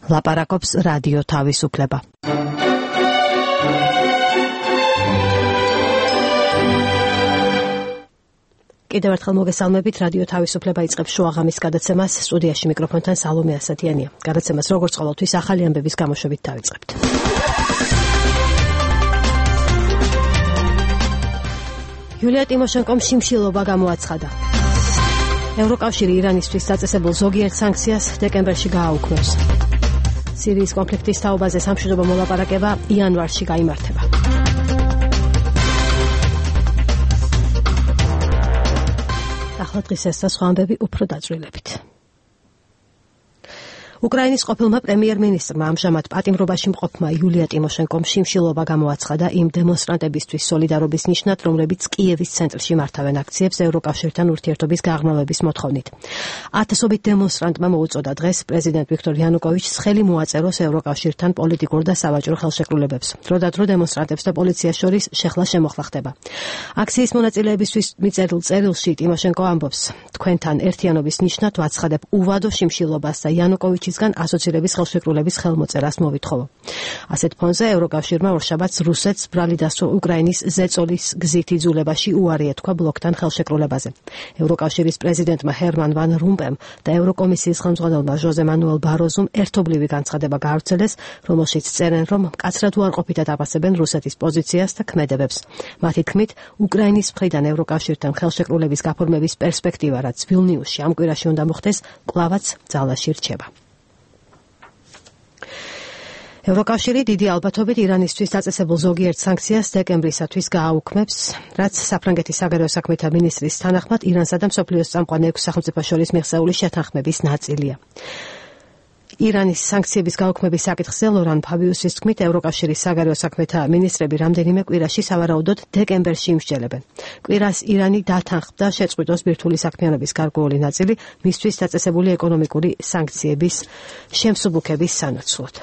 ლაპარაკობს რადიო თავისუფლება. კიდევ ერთხელ მოგესალმებით, რადიო თავისუფლება იწყებს შუაღამის გადაცემას, სტუდიაში მიკროფონთან სალომე ასათიანია. გადაცემას როგორც ყოველთვის ახალი ამბების გამოშვებით დავიწყებთ. იულია ტიმოშენკომ შიმშილობა გამოაცხადა. ევროკავშირი ირანისთვის დაწესებულ ზოგიერთ სანქციას დეკემბერში გააუქმებს. სირიის კონფლიქტის თაობაზე სამშვიდობო მოლაპარაკება იანვარში გაიმართება. ახლა დღის ეს და სხვა ამბები უფრო დაწვრილებით. უკრაინის ყოფილმა პრემიერ-მინისტრმა ამჟამად პატიმრობაში მყოფმა იულია ტიმოშენკომ შიმშილობა გამოაცხადა იმ დემონსტრანტებისთვის სოლიდარობის ნიშნად, რომლებიც კიევის ცენტრში მართავენ აქციებს ევროკავშირთან ურთიერთობის გაღრმავების მოთხოვნით. ათასობით დემონსტრანტმა მოუწოდა დღეს პრეზიდენტ ვიქტორ იანუკოვიჩს ხელი მოაწეროს ევროკავშირთან პოლიტიკურ და სავაჭრო ხელშეკრულებებს. დროდადრო დემონსტრანტებს და პოლიციას შორის შეხლა-შემოხლა ხდება. აქციის მონაწილეებისთვის მიწერილ წერილში ტიმოშენკო ამბობს: თქვენთან ერთიანობის ნიშნად ვაცხადებ უვადო შიმშილობას და იანუკოვიჩის ასოცირების ხელშეკრულების ხელმოწერას მოვითხოვო. ასეთ ფონზე ევროკავშირმა ორშაბათს რუსეთს ბრალი დასვა უკრაინის ზეწოლის გზით იძულებაში უარი ეთქვა ბლოკთან ხელშეკრულებაზე. ევროკავშირის პრეზიდენტმა ჰერმან ვან რომპემ და ევროკომისიის ხელმძღვანელმა ჟოზე მანუელ ბაროზუმ ერთობლივი განცხადება გაავრცელეს, რომელშიც წერენ, რომ მკაცრად უარყოფითად აფასებენ რუსეთის პოზიციას და ქმედებებს. მათი თქმით, უკრაინის მხრიდან ევროკავშირთან ხელშეკრულების გაფორმების პერსპექტივა, რაც ვილნიუსში ამ კვირაში უნდა მოხდეს, კვლავაც ძალაში რჩება. ევროკავშირი დიდი ალბათობით ირანისთვის დაწესებულ ზოგიერთ სანქციას დეკემბრისათვის გააუქმებს, რაც საფრანგეთის საგარეო საქმეთა მინისტრის თანახმად ირანსა და მსოფლიოს წამყვან 6 სახელმწიფოს შორის მიღწეული შეთანხმების ნაწილია. ირანის სანქციების გაუქმების საკითხზე ლორან ფაბიუსის თქმით, ევროკავშირის საგარეო საქმეთა მინისტრები რამდენიმე კვირაში სავარაუდოდ დეკემბერში იმსჯელებენ. კვირას ირანი დათანხმდა შეწყვიტოს ბირთვული საქმიანობის გარკვეული ნაწილი მისთვის დაწესებული ეკონომიკური სანქციების შემსუბუქების სანაცვლოდ.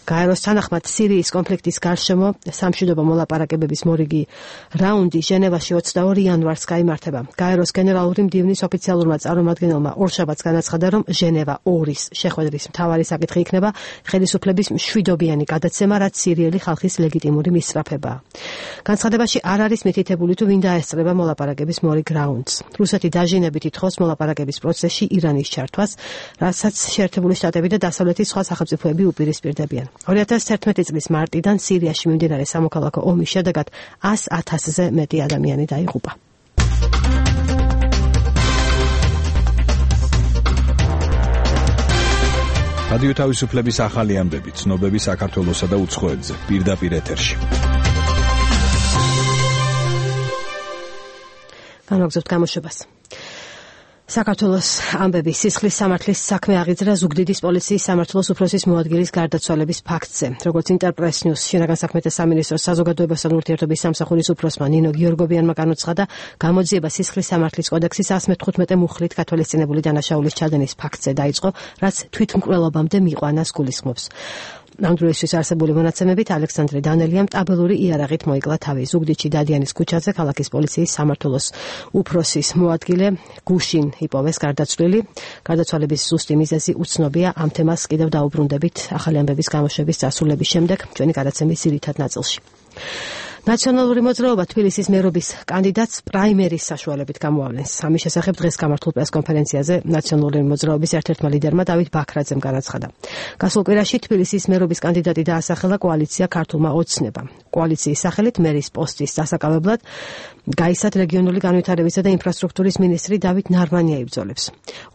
გაეროს თანახმად სირიის კონფლიქტის გარშემო სამშვიდობო მოლაპარაკებების მორიგი რაუნდი ჟენევაში 22 იანვარს გაიმართება. გაეროს გენერალური მდივნის ოფიციალურმა წარმომადგენელმა ორშაბათს განაცხადა, რომ ჟენევა 2-ის შეხვედრის მთავარი საკითხი იქნება ხელისუფლების მშვიდობიანი გადაცემა, რაც სირიელი ხალხის ლეგიტიმური მისწრაფებაა. განცხადებაში არ არის მითითებული, თუ ვინ დაესწრება მოლაპარაკების მორიგ რაუნდს. რუსეთი დაჟინებით ითხოვს მოლაპარაკების პროცესში ირანის ჩართვას, რასაც შეერთებული შტატები და დასავლეთის სხვა სახელმწიფოები უპირისპირდებიან. 2011 წლის მარტიდან სირიაში მიმდინარე სამოქალაქო ომის შედეგად 100,000-ზე მეტი ადამიანი დაიღუპა. რადიო თავისუფლების ახალი ამბები, ცნობები საქართველოსა და უცხოეთზე, პირდაპირ ეთერში. განვაგრძობთ გამოშვებას. საქართველოს ამბები სისხლის სამართლის საქმე აღიძრა ზუგდიდის პოლიციის სამართლოს უფროსის მოადგილის გარდაცვალების ფაქტზე. როგორც ინტერპრეს ნიუს შინაგან საქმეთა სამინისტროს საზოგადოებასთან ურთიერთობის სამსახურის უფროსმა ნინო გიორგობიანმა განუცხადა, გამოძიება სისხლის სამართლის კოდექსის 115 მუხლით გათვალისწინებული დანაშაულის ჩადენის ფაქტზე დაიწყო, რაც თვითმკვლელობამდე მიყვანას გულისხმობს. ამ დროისთვის არსებული მონაცემებით ალექსანდრე დანელიამ ტაბელური იარაღით მოიკლა თავი. ზუგდიდში დადიანის ქუჩაზე ქალაქის პოლიციის სამმართველოს უფროსის მოადგილე გუშინ იპოვეს გარდაცვლილი. გარდაცვალების ზუსტი მიზეზი უცნობია. ამ თემას კიდევ დაუბრუნდებით ახალი ამბების გამოშვების დასრულების შემდეგ ჩვენი გადაცემის ძირითად ნაწილში. ნაციონალური მოძრაობა თბილისის მერობის კანდიდატს პრაიმერის საშუალებით გამოავლენს. ამის შესახებ დღეს გამართულ პრესკონფერენციაზე ნაციონალური მოძრაობის ერთ-ერთმა ლიდერმა დავით ბაქრაძემ განაცხადა. გასულ კვირაში თბილისის მერობის კანდიდატი დაასახელა კოალიცია ქართულმა ოცნება. კოალიციის სახელით მერის პოსტის დასაკავებლად გაისად რეგიონული განვითარებისა და ინფრასტრუქტურის მინისტრი დავით ნარმანია იბრძოლებს.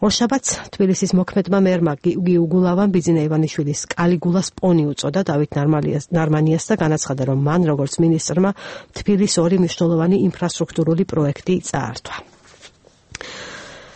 ორშაბათს თბილისის მოქმედმა მერმა გიუგულავამ ბიძინა ივანიშვილის კალიგულას პონი უწოდა დავით ნარმანიას და განაცხადა, რომ მან როგორც მინისტრმა თბილისის 2 მნიშვნელოვანი ინფრასტრუქტურული პროექტი წაართვა.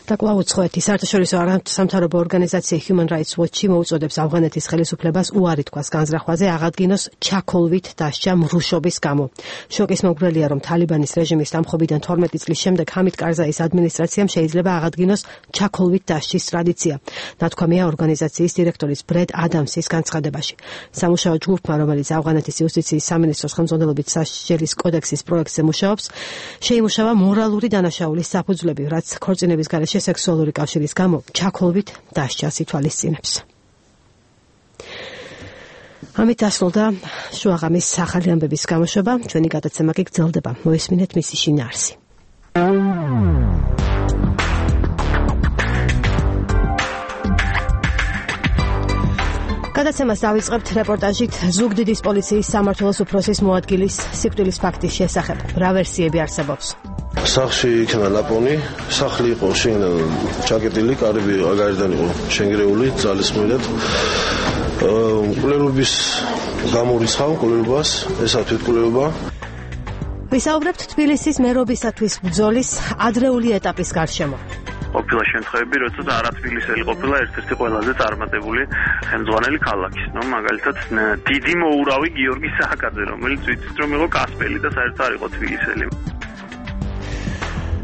და კვლავ უცხოეთის საერთაშორისო არასამთავრობო ორგანიზაცია Human Rights Watch მოუწოდებს ავღანეთის ხელისუფლებას უარი თქვას განზრახვაზე აღადგინოს ჩაქოლვით დასჯა მრუშობის გამო. შოკის მომგვრელია, რომ თალიბანის რეჟიმის დამხობიდან 12 წლის შემდეგ ჰამიდ კარზაის ადმინისტრაციამ შეიძლება აღადგინოს ჩაქოლვით დასჯის ტრადიცია. ნათქვამია ორგანიზაციის დირექტორის ბრედ ადამსის განცხადებაში. სამუშაო ჯგუფმა, რომელიც ავღანეთის იუსტიციის სამინისტროს ხელმძღვანელობით სასჯელის კოდექსის პროექტზე მუშაობს, შეიმუშავა მორალური დანაშაულის საფუძვლები, რაც ქორწინების გარეშე საჯარიმოში სექსუალური კავშირის გამო ჩაქოლვით დასჯას ითვალისწინებს. ამით დასრულდა შუაღამის ახალი ამბების გამოშვება. ჩვენი გადაცემა კი გრძელდება. მოესმინეთ მისი შინაარსი. გადაცემას დავიწყებთ რეპორტაჟით ზუგდიდის პოლიციის სამმართველოს უფროსის მოადგილის სიკვდილის ფაქტის შესახებ. რა ვერსიები არსებობს? სახლში იქნა ლაპონი, სახლი იყო ჩაკეტილი, კარები გარედან იყო შენგრეული, ძალისმოედად. მკვლელობის გამორიცხავ მკვლელობას, ესა თვითმკვლელობა. ვისაუბრებთ თბილისის მერობისათვის ბრძოლის ადრეული ეტაპის გარშემო. ყოფილა შემთხვევები, როცა არა თბილისელი ყოფილა ერთ-ერთი ყველაზე წარმატებული ხელმძღვანელი ქალაქის. მაგალითად, დიდი მოურავი გიორგი სააკაძე, რომელიც ვიცით რომ იყო კასპელი და საერთოდ არ იყო თბილისელი.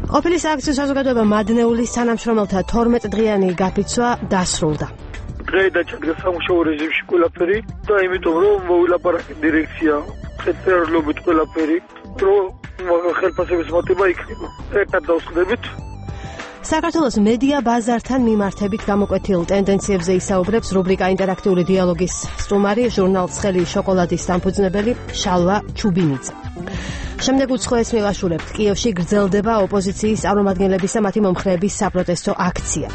ყოფილი სააქციო საზოგადოება მადნეულის თანამშრომელთა 12 დღიანი გაფიცვა დასრულდა. დღეიდან ჩადგა სამუშაო რეჟიმში ყველაფერი და იმიტომ რომ მოვილაპარაკე დირექცია ხელწერლობით ყველაფერი, რომ ხელფასების მოტება იქნება. ერთად დავსხდებით. საქართველოს მედია ბაზართან მიმართებით გამოკვეთილ ტენდენციებზე ისაუბრებს რუბრიკა ინტერაქტიული დიალოგის სტუმარი, ჟურნალ ცხელი შოკოლადის დამფუძნებელი შალვა ჩუბინიძე. შემდეგ უცხოეს მივაშურებთ. კიევში გრძელდება ოპოზიციის წარმომადგენლებისა მათი მომხრეების საპროტესტო აქცია.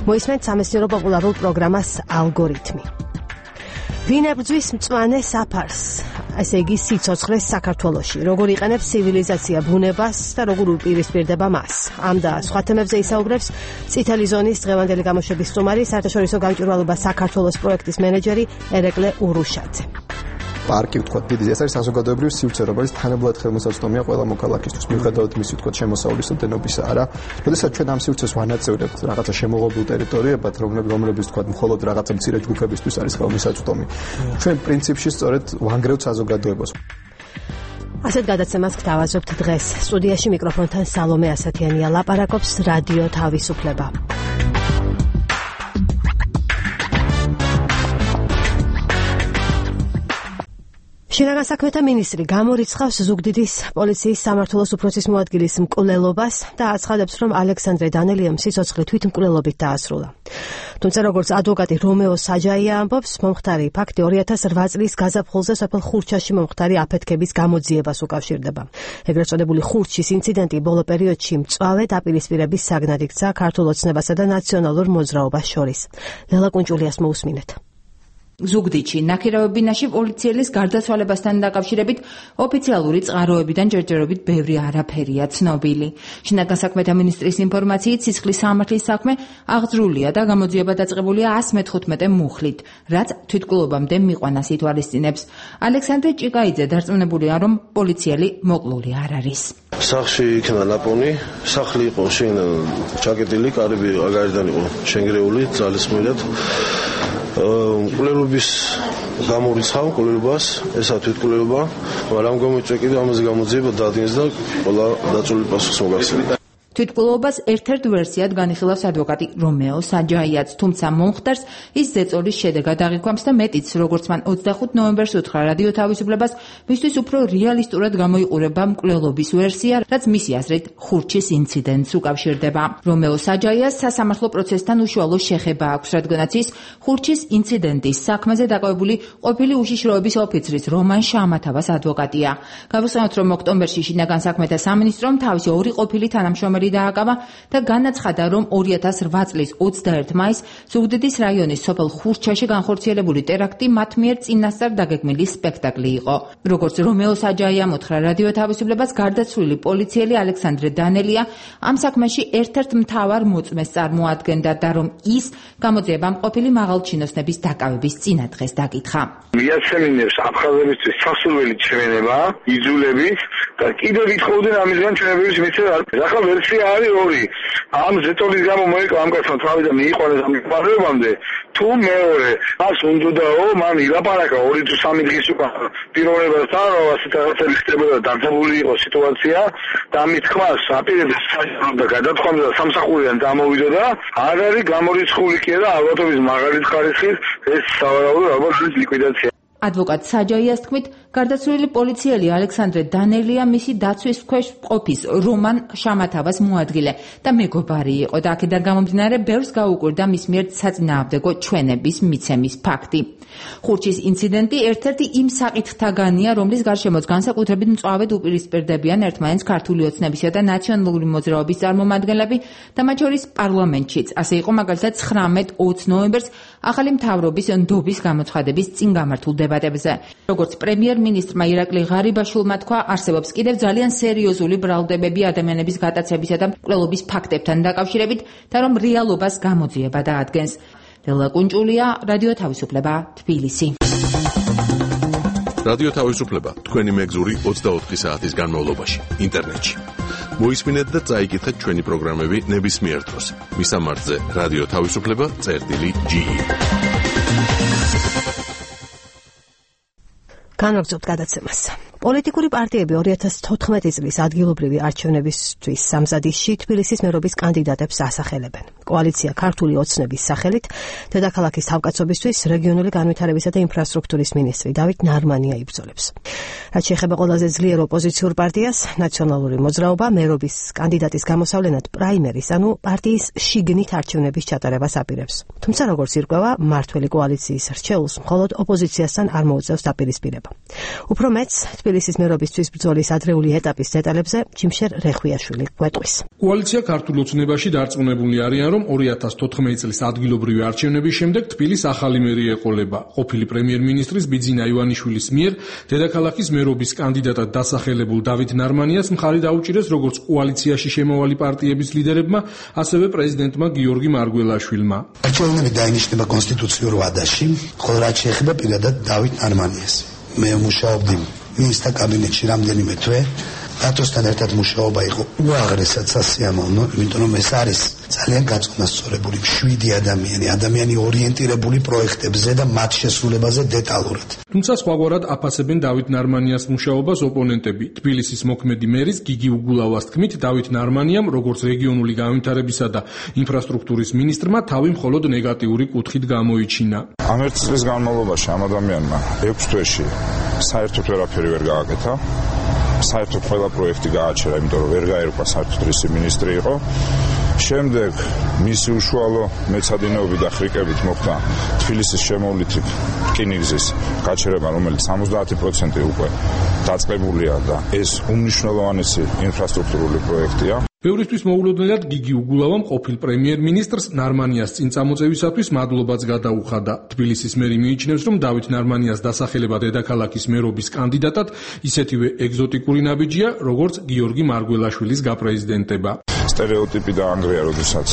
მოისმენთ სამეცნიერო პოპულარულ პროგრამას ალგორითმი. ვინ ებრძვის მწვანე საფარს? ესე იგი სიცოცხლეს საქართველოში. როგორ იყენებს ცივილიზაცია ბუნებას და როგორ უპირისპირდება მას? ამ და სხვა თემებზე ისაუბრებს წითელი ზონის დღევანდელი გამოშვების სტუმარი, საერთაშორისო გამჭვირვალობა საქართველოს პროექტის მენეჯერი ერეკლე ურუშაძე. პარკი ვთქვათ, დიდი ეს არის საზოგადოებრივი სივრცე, რომელიც თანაბრად ხელმისაწვდომია ყველა მოქალაქისთვის, მიუხედავად მისი ვთქვათ შემოსავლის დენობისა არა. როდესაც ჩვენ ამ სივრცეს ვანაწევრებთ რაღაცა შემოღობილ ტერიტორიებად, რომლებიც ვთქვათ, მხოლოდ რაღაცა მცირე ჯგუფებისთვის არის ხელმისაწვდომი. ჩვენ პრინციპში სწორედ ვანგრევთ საზოგადოებას. ასეთ გადაცემას გთავაზობთ დღეს. სტუდიაში მიკროფონთან სალომე ასათიანია, ლაპარაკობს რადიო თავისუფლება. შინაგან საქმეთა მინისტრი გამორიცხავს ზუგდიდის პოლიციის სამმართველოს უფროსის მოადგილის მკვლელობას და აცხადებს, რომ ალექსანდრე დანელიამ სიცოცხლე თვითმკვლელობით დაასრულა. თუმცა როგორც ადვოკატი რომეო საჯაია ამბობს, მომხდარი ფაქტი 2008 წლის გაზაფხულზე სოფელ ხურჩაში მომხდარი აფეთქების გამოძიებას უკავშირდება. ეგრეთ წოდებული ხურჩის ინციდენტი ბოლო პერიოდში მწვავე დაპირისპირების საგნად იქცა ქართულ ოცნებასა და ნაციონალურ მოძრაობას შორის. ლელა კუნჭულიას მოусმინეთ. ზუგდიდში ნაქირავებინაში პოლიციელის გარდაცვალებასთან დაკავშირებით ოფიციალური წყაროებიდან ჯერჯერობით ბევრი არაფერია ცნობილი. შინაგან საქმეთა მინისტრის ინფორმაციით სისხლის სამართლის საქმე აღძრულია და გამოძიება დაწყებულია 115 მუხლით, რაც თვითმკვლელობამდე მიყვანას ითვალისწინებს. ალექსანდრე ჭიკაიძე დარწმუნებულია, რომ პოლიციელი მოკლული არ არის. სახლში იქნა ლაპონი, სახლი იყო ჩაკეტილი, კარები გარედან იყო შენგრეული, ძალისმოედად. მკვლელობის გამორიცხავ მკვლელობას, ესა თვითმკვლელობა, მაგრამ გამოიწვია კიდევ ამაზე გამოძიება დაადგინეს და ყველა დაწვრილი პასუხს მოგახსენებთ. თვითმკვლელობას ერთ-ერთ ვერსიად განიხილავს ადვოკატი რომეო საჯაიაც, თუმცა მომხდარს ის ზეწოლის შედეგად აღიქვამს და მეტიც, როგორც მან 25 ნოემბერს უთხრა რადიო თავისუფლებას, მისთვის უფრო რეალისტურად გამოიყურება მკვლელობის ვერსია, რაც მისი აზრით ხურჩის ინციდენტს უკავშირდება. რომეო საჯაიას სასამართლო პროცესთან უშუალო შეხება აქვს, რადგანაც ის ხურჩის ინციდენტის საქმეზე დაკავებული ყოფილი უშიშროების ოფიცრის რომან შამათავას ადვოკატია. გავუსწავლოთ, რომ ოქტომბერში შინაგან საქმეთა სამინისტრომ თავისი ორი ყოფილი თანამშრომელი დააკავა და განაცხადა, რომ 2008 წლის 21 მაისს ზუგდიდის რაიონის სოფელ ხურჩაში განხორციელებული ტერაქტი მათ მიერ წინასწარ დაგეგმილი სპექტაკლი იყო. როგორც რომეო საჯაიამ უთხრა რადიო თავისუფლებას, გარდაცვლილი პოლიციელი ალექსანდრე დანელია ამ საქმეში ერთ-ერთ მთავარ მოწმეს წარმოადგენდა და რომ ის გამოძიებამ ყოფილი მაღალჩინოსნების დაკავების წინადღეს დაკითხა. მიაცემინებს აფხაზებისთვის სასურველი ჩვენება, იძულებით და კიდევ ვითხოვდნენ ამისგან ჩვენებების მიცემა. ახლა ვერსია არის ორი. ამ ზეწოლის გამო მოიკვა ამ კაცმა თავი და მიიყვანეს ამ პარლამენტამდე. თუ მეორე მას უნდაო, მან ილაპარაკა 2 თუ 3 დღის უკან პიროვნებასთან, რომ ასეთ რაღაცები ხდებოდა, დაძაბული იყო სიტუაცია და ამით თქმას აპირებდა და გადათხოვდა და სამსახურიდან დამოვიდა. არ არის გამორიცხული კი და ალბათობის მაღალი ხარისხის ეს სავარაუდო ალბათ ლიკვიდაცია. ადვოკატ საჯაიას თქმით, გარდაცვლილი პოლიციელი ალექსანდრე დანელია მისი დაცვის ქვეშ ყოფის რომან შამათავას მოადგილე და მეგობარი იყო და აქედან გამომდინარე ბევრს გაუკვირდა მის მიერ საწინააღმდეგო ჩვენების მიცემის ფაქტი. ხურჩის ინციდენტი ერთ-ერთი იმ საკითხთაგანია, რომლის გარშემოც განსაკუთრებით მწვავედ უპირისპირდებიან ერთმანეთს ქართული ოცნებისა და ნაციონალური მოძრაობის წარმომადგენლები და მათ შორის პარლამენტშიც. ასე იყო მაგალითად 19-20 ნოემბერს ახალი მთავრობის ნდობის გამოცხადების წინ გამართულ დებატებზე. როგორც პრემიერ-მინისტრმა ირაკლი ღარიბაშვილმა თქვა, არსებობს კიდევ ძალიან სერიოზული ბრალდებები ადამიანების გატაცებისა და მკვლელობის ფაქტებთან დაკავშირებით და რომ რეალობას გამოძიება დაადგენს. ლელა კუნჭულია, რადიო თავისუფლება, თბილისი. რადიო თავისუფლება თქვენი მეგზური 24 საათის განმავლობაში ინტერნეტში. მოისმინეთ და წაიკითხეთ ჩვენი პროგრამები ნებისმიერ დროს. მისამართზე რადიო თავისუფლება.ge. განვაგრძობთ გადაცემას. პოლიტიკური პარტიები 2014 წლის ადგილობრივი არჩევნებისთვის სამზადისში თბილისის მერობის კანდიდატებს ასახელებენ. კოალიცია ქართული ოცნების სახელით დედაქალაქის თავკაცობისთვის რეგიონული განვითარებისა და ინფრასტრუქტურის მინისტრი დავით ნარმანია იბრძოლებს. რაც შეეხება ყველაზე ძლიერ ოპოზიციურ პარტიას, ნაციონალური მოძრაობა მერობის კანდიდატის გამოსავლენად პრაიმერის, ანუ პარტიის შიგნით არჩევნების ჩატარებას აპირებს. თუმცა როგორც ირკვევა, მმართველი კოალიციის რჩეულს მხოლოდ ოპოზიციასთან არ მოუწევს დაპირისპირება. უფრო მეც თბილისის მერობისთვის ბრძოლის ადრეული ეტაპის დეტალებზე ჯიმშერ რეხვიაშვილი გვეტყვის. კოალიცია ქართულ ოცნებაში დარწმუნებული არიან, რომ 2014 წლის ადგილობრივი არჩევნების შემდეგ თბილისს ახალი მერი ეყოლება. ყოფილი პრემიერ-მინისტრის ბიძინა ივანიშვილის მიერ დედაქალაქის მერობის კანდიდატად დასახელებულ დავით ნარმანიას მხარი დაუჭირეს როგორც კოალიციაში შემავალი პარტიების ლიდერებმა, ასევე პრეზიდენტმა გიორგი მარგველაშვილმა. არჩევნები დაინიშნება კონსტიტუციურ ვადაში, ხოლო რაც შეეხება პირადად დავით ნარმანიას. მე მუშაობდი მინისტრთა კაბინეტში რამდენიმე თვე, რატოსთან ერთად მუშაობა იყო უაღრესად სასიამოვნო, იმიტომ რომ ეს არის ძალიან გაწონასწორებული, მშვიდი ადამიანი ორიენტირებული პროექტებზე და მათ შესრულებაზე დეტალურად. თუმცა სხვაგვარად აფასებენ დავით ნარმანიას მუშაობას ოპონენტები. თბილისის მოქმედი მერის გიგი უგულავას თქმით, დავით ნარმანიამ, როგორც რეგიონული განვითარებისა და ინფრასტრუქტურის მინისტრმა, თავი მხოლოდ ნეგატიური კუთხით გამოიჩინა. ამ ერთი წლის განმავლობაში ამ ადამიანმა 6 თვეში საერთოდ ვერაფერი ვერ გააკეთა. საერთოდ ყველა პროექტი გააჩერა, იმიტომ რომ ვერ გაერკვა საერთოდ რისი მინისტრი იყო. შემდეგ მისი უშუალო მეცადინეობით და ხრიკებით მოხდა თბილისის შემოვლითი რკინიგზის გაჩერება, რომელიც 70% უკვე დაწყებულია და ეს უმნიშვნელოვანესი ინფრასტრუქტურული პროექტია. ბევრისთვის მოულოდნელად გიგი უგულავამ ყოფილ პრემიერ-მინისტრს ნარმანიას წინ წამოწევისათვის მადლობაც გადაუხადა. თბილისის მერი მიიჩნევს, რომ დავით ნარმანიას დასახელება დედაქალაქის მერობის კანდიდატად ისეთივე ეგზოტიკური ნაბიჯია, როგორც გიორგი მარგველაშვილის გაპრეზიდენტება. სტერეოტიპი დაანგრია, როდესაც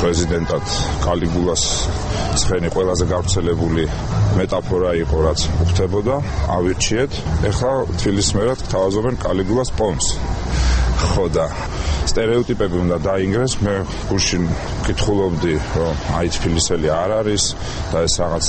პრეზიდენტად კალიგულას ცხენი ყველაზე გავრცელებული მეტაფორა იყო, რაც უხდებოდა. ავირჩიეთ, ეხლა თბილისის მერად თავაზობენ კალიგულას პონს. ხოდა სტერეოტიპები უნდა დაინგრეს. მე გუშინ კითხულობდი, რომ აი თბილისელი არ არის და ეს რაღაც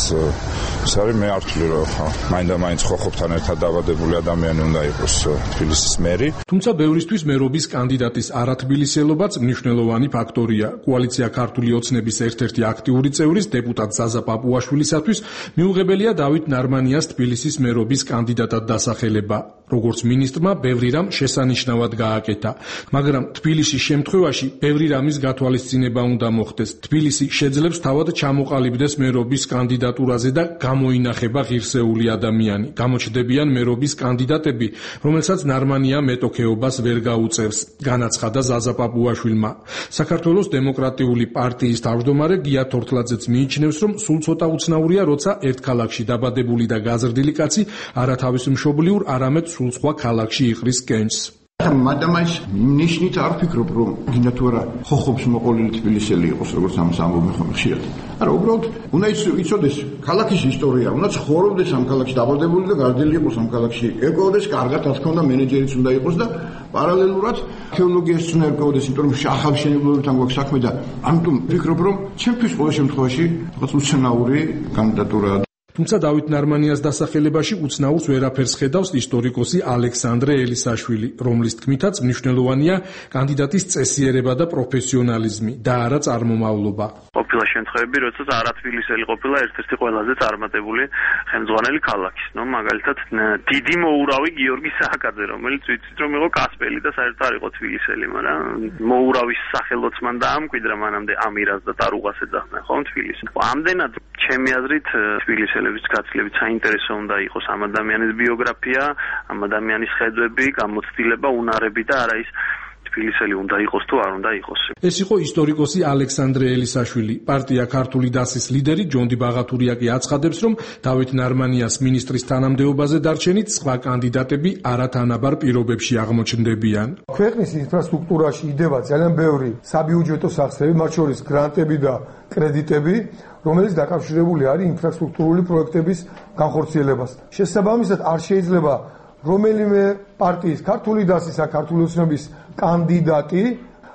ის არის, მე არ ვთვლი, რომ მაინდა-მაინც ხოხობთან ერთად დაბადებული ადამიანი უნდა იყოს თბილისის მერი. თუმცა ბევრისთვის მერობის კანდიდატის არათბილისელობაც მნიშვნელოვანი ფაქტორია. კოალიცია ქართული ოცნების ერთ-ერთი აქტიური წევრის დეპუტატ ზაზა პაპუაშვილისათვის მიუღებელია დავით ნარმანიას თბილისის მერობის კანდიდატად დასახელება. როგორც მინისტრმა ბევრი რამ შესანიშნავად გააკეთა, მაგრამ თბილისის შემთხვევაში ბევრი რამის გათვალისწინება უნდა მოხდეს. თბილისი შეძლებს თავად ჩამოყალიბდეს მერობის კანდიდატურაზე და გამოინახება ღირსეული ადამიანი. გამოჩნდებიან მერობის კანდიდატები, რომელსაც ნარმანია მეტოქეობას ვერ გაუწევს, განაცხადა ზაზა პაპუაშვილმა. საქართველოს დემოკრატიული პარტიის თავმჯდომარე გია თორთლაძეც მიიჩნევს, რომ სულ ცოტა უცნაურია, როცა ერთ ქალაქში დაბადებული და გაზრდილი კაცი არა თავის მშობლიურ, არამედ სულ სხვა ქალაქში იყრის კენჭს. მადამაის ნიშნით არ ვფიქრობ, რომ გინდა თუ არა ხოხობს მოყოლილი თბილისელი იყოს, როგორც ამას ამბობენ ხოლმე ხშირად. არა, უბრალოდ უნდა იცოდეს ქალაქის ისტორია, უნდა ცხოვრობდეს ამ ქალაქში, დაბადებული და გარდელი იყოს ამ ქალაქში, ეკოვდეს კარგად, რა თქმა უნდა, მენეჯერიც უნდა იყოს და პარალელურად თეოლოგიას უნდა ეკოვდეს, იმიტომ რომ ახალშენებლობებთან გვაქვს საქმე და ამიტომ ვფიქრობ, რომ ჩემთვის ყოველ შემთხვევაში რაღაც უცნაური კანდიდატურაა. თუმცა დავით ნარმანიას დასახელებაში უცნაურს ვერაფერს ხედავს ისტორიკოსი ალექსანდრე ელისაშვილი, რომლის თქმითაც მნიშვნელოვანია კანდიდატის წესიერება და პროფესიონალიზმი და არა წარმომავლობა. ყოფილა შემთხვევები, როდესაც არათბილისელი ყოფილა ერთ-ერთი ყველაზე წარმატებული ხელმძღვანელი ქალაქის. მაგალითად, დიდი მოურავი გიორგი სააკაძე, რომელიც ვიცით რომ იყო კასპელი და საერთოდ არ იყო თბილისელი, მაგრამ მოურავის სახელოც მან დაამკვიდრა მანამდე ამირას და ტარუღას ეძახდნენ ხო თბილისს. ამდენად ჩემი აზრით თბილისელების გაცილებით საინტერესო უნდა იყოს ამ ადამიანის ბიოგრაფია, ამ ადამიანის ხედვები, გამოცდილება, უნარები და არა ის თბილისელი უნდა იყოს თუ არ უნდა იყოს. ეს იყო ისტორიკოსი ალექსანდრე ელისაშვილი. პარტია ქართული დასის ლიდერი ჯონდი ბაღათურია კი აცხადებს, რომ დავით ნარმანიას მინისტრის თანამდებობაზე დარჩენით სხვა კანდიდატები არათანაბარ პირობებში აღმოჩნდებიან. ქვეყნის ინფრასტრუქტურაში იდება ძალიან ბევრი საბიუჯეტო სახსრები, მათ შორის გრანტები და კრედიტები, რომელიც დაკავშირებული არის ინფრასტრუქტურული პროექტების განხორციელებასთან. შესაბამისად, არ შეიძლება რომელიმე პარტიის ქართული დასის ან ქართული ოცნების კანდიდატი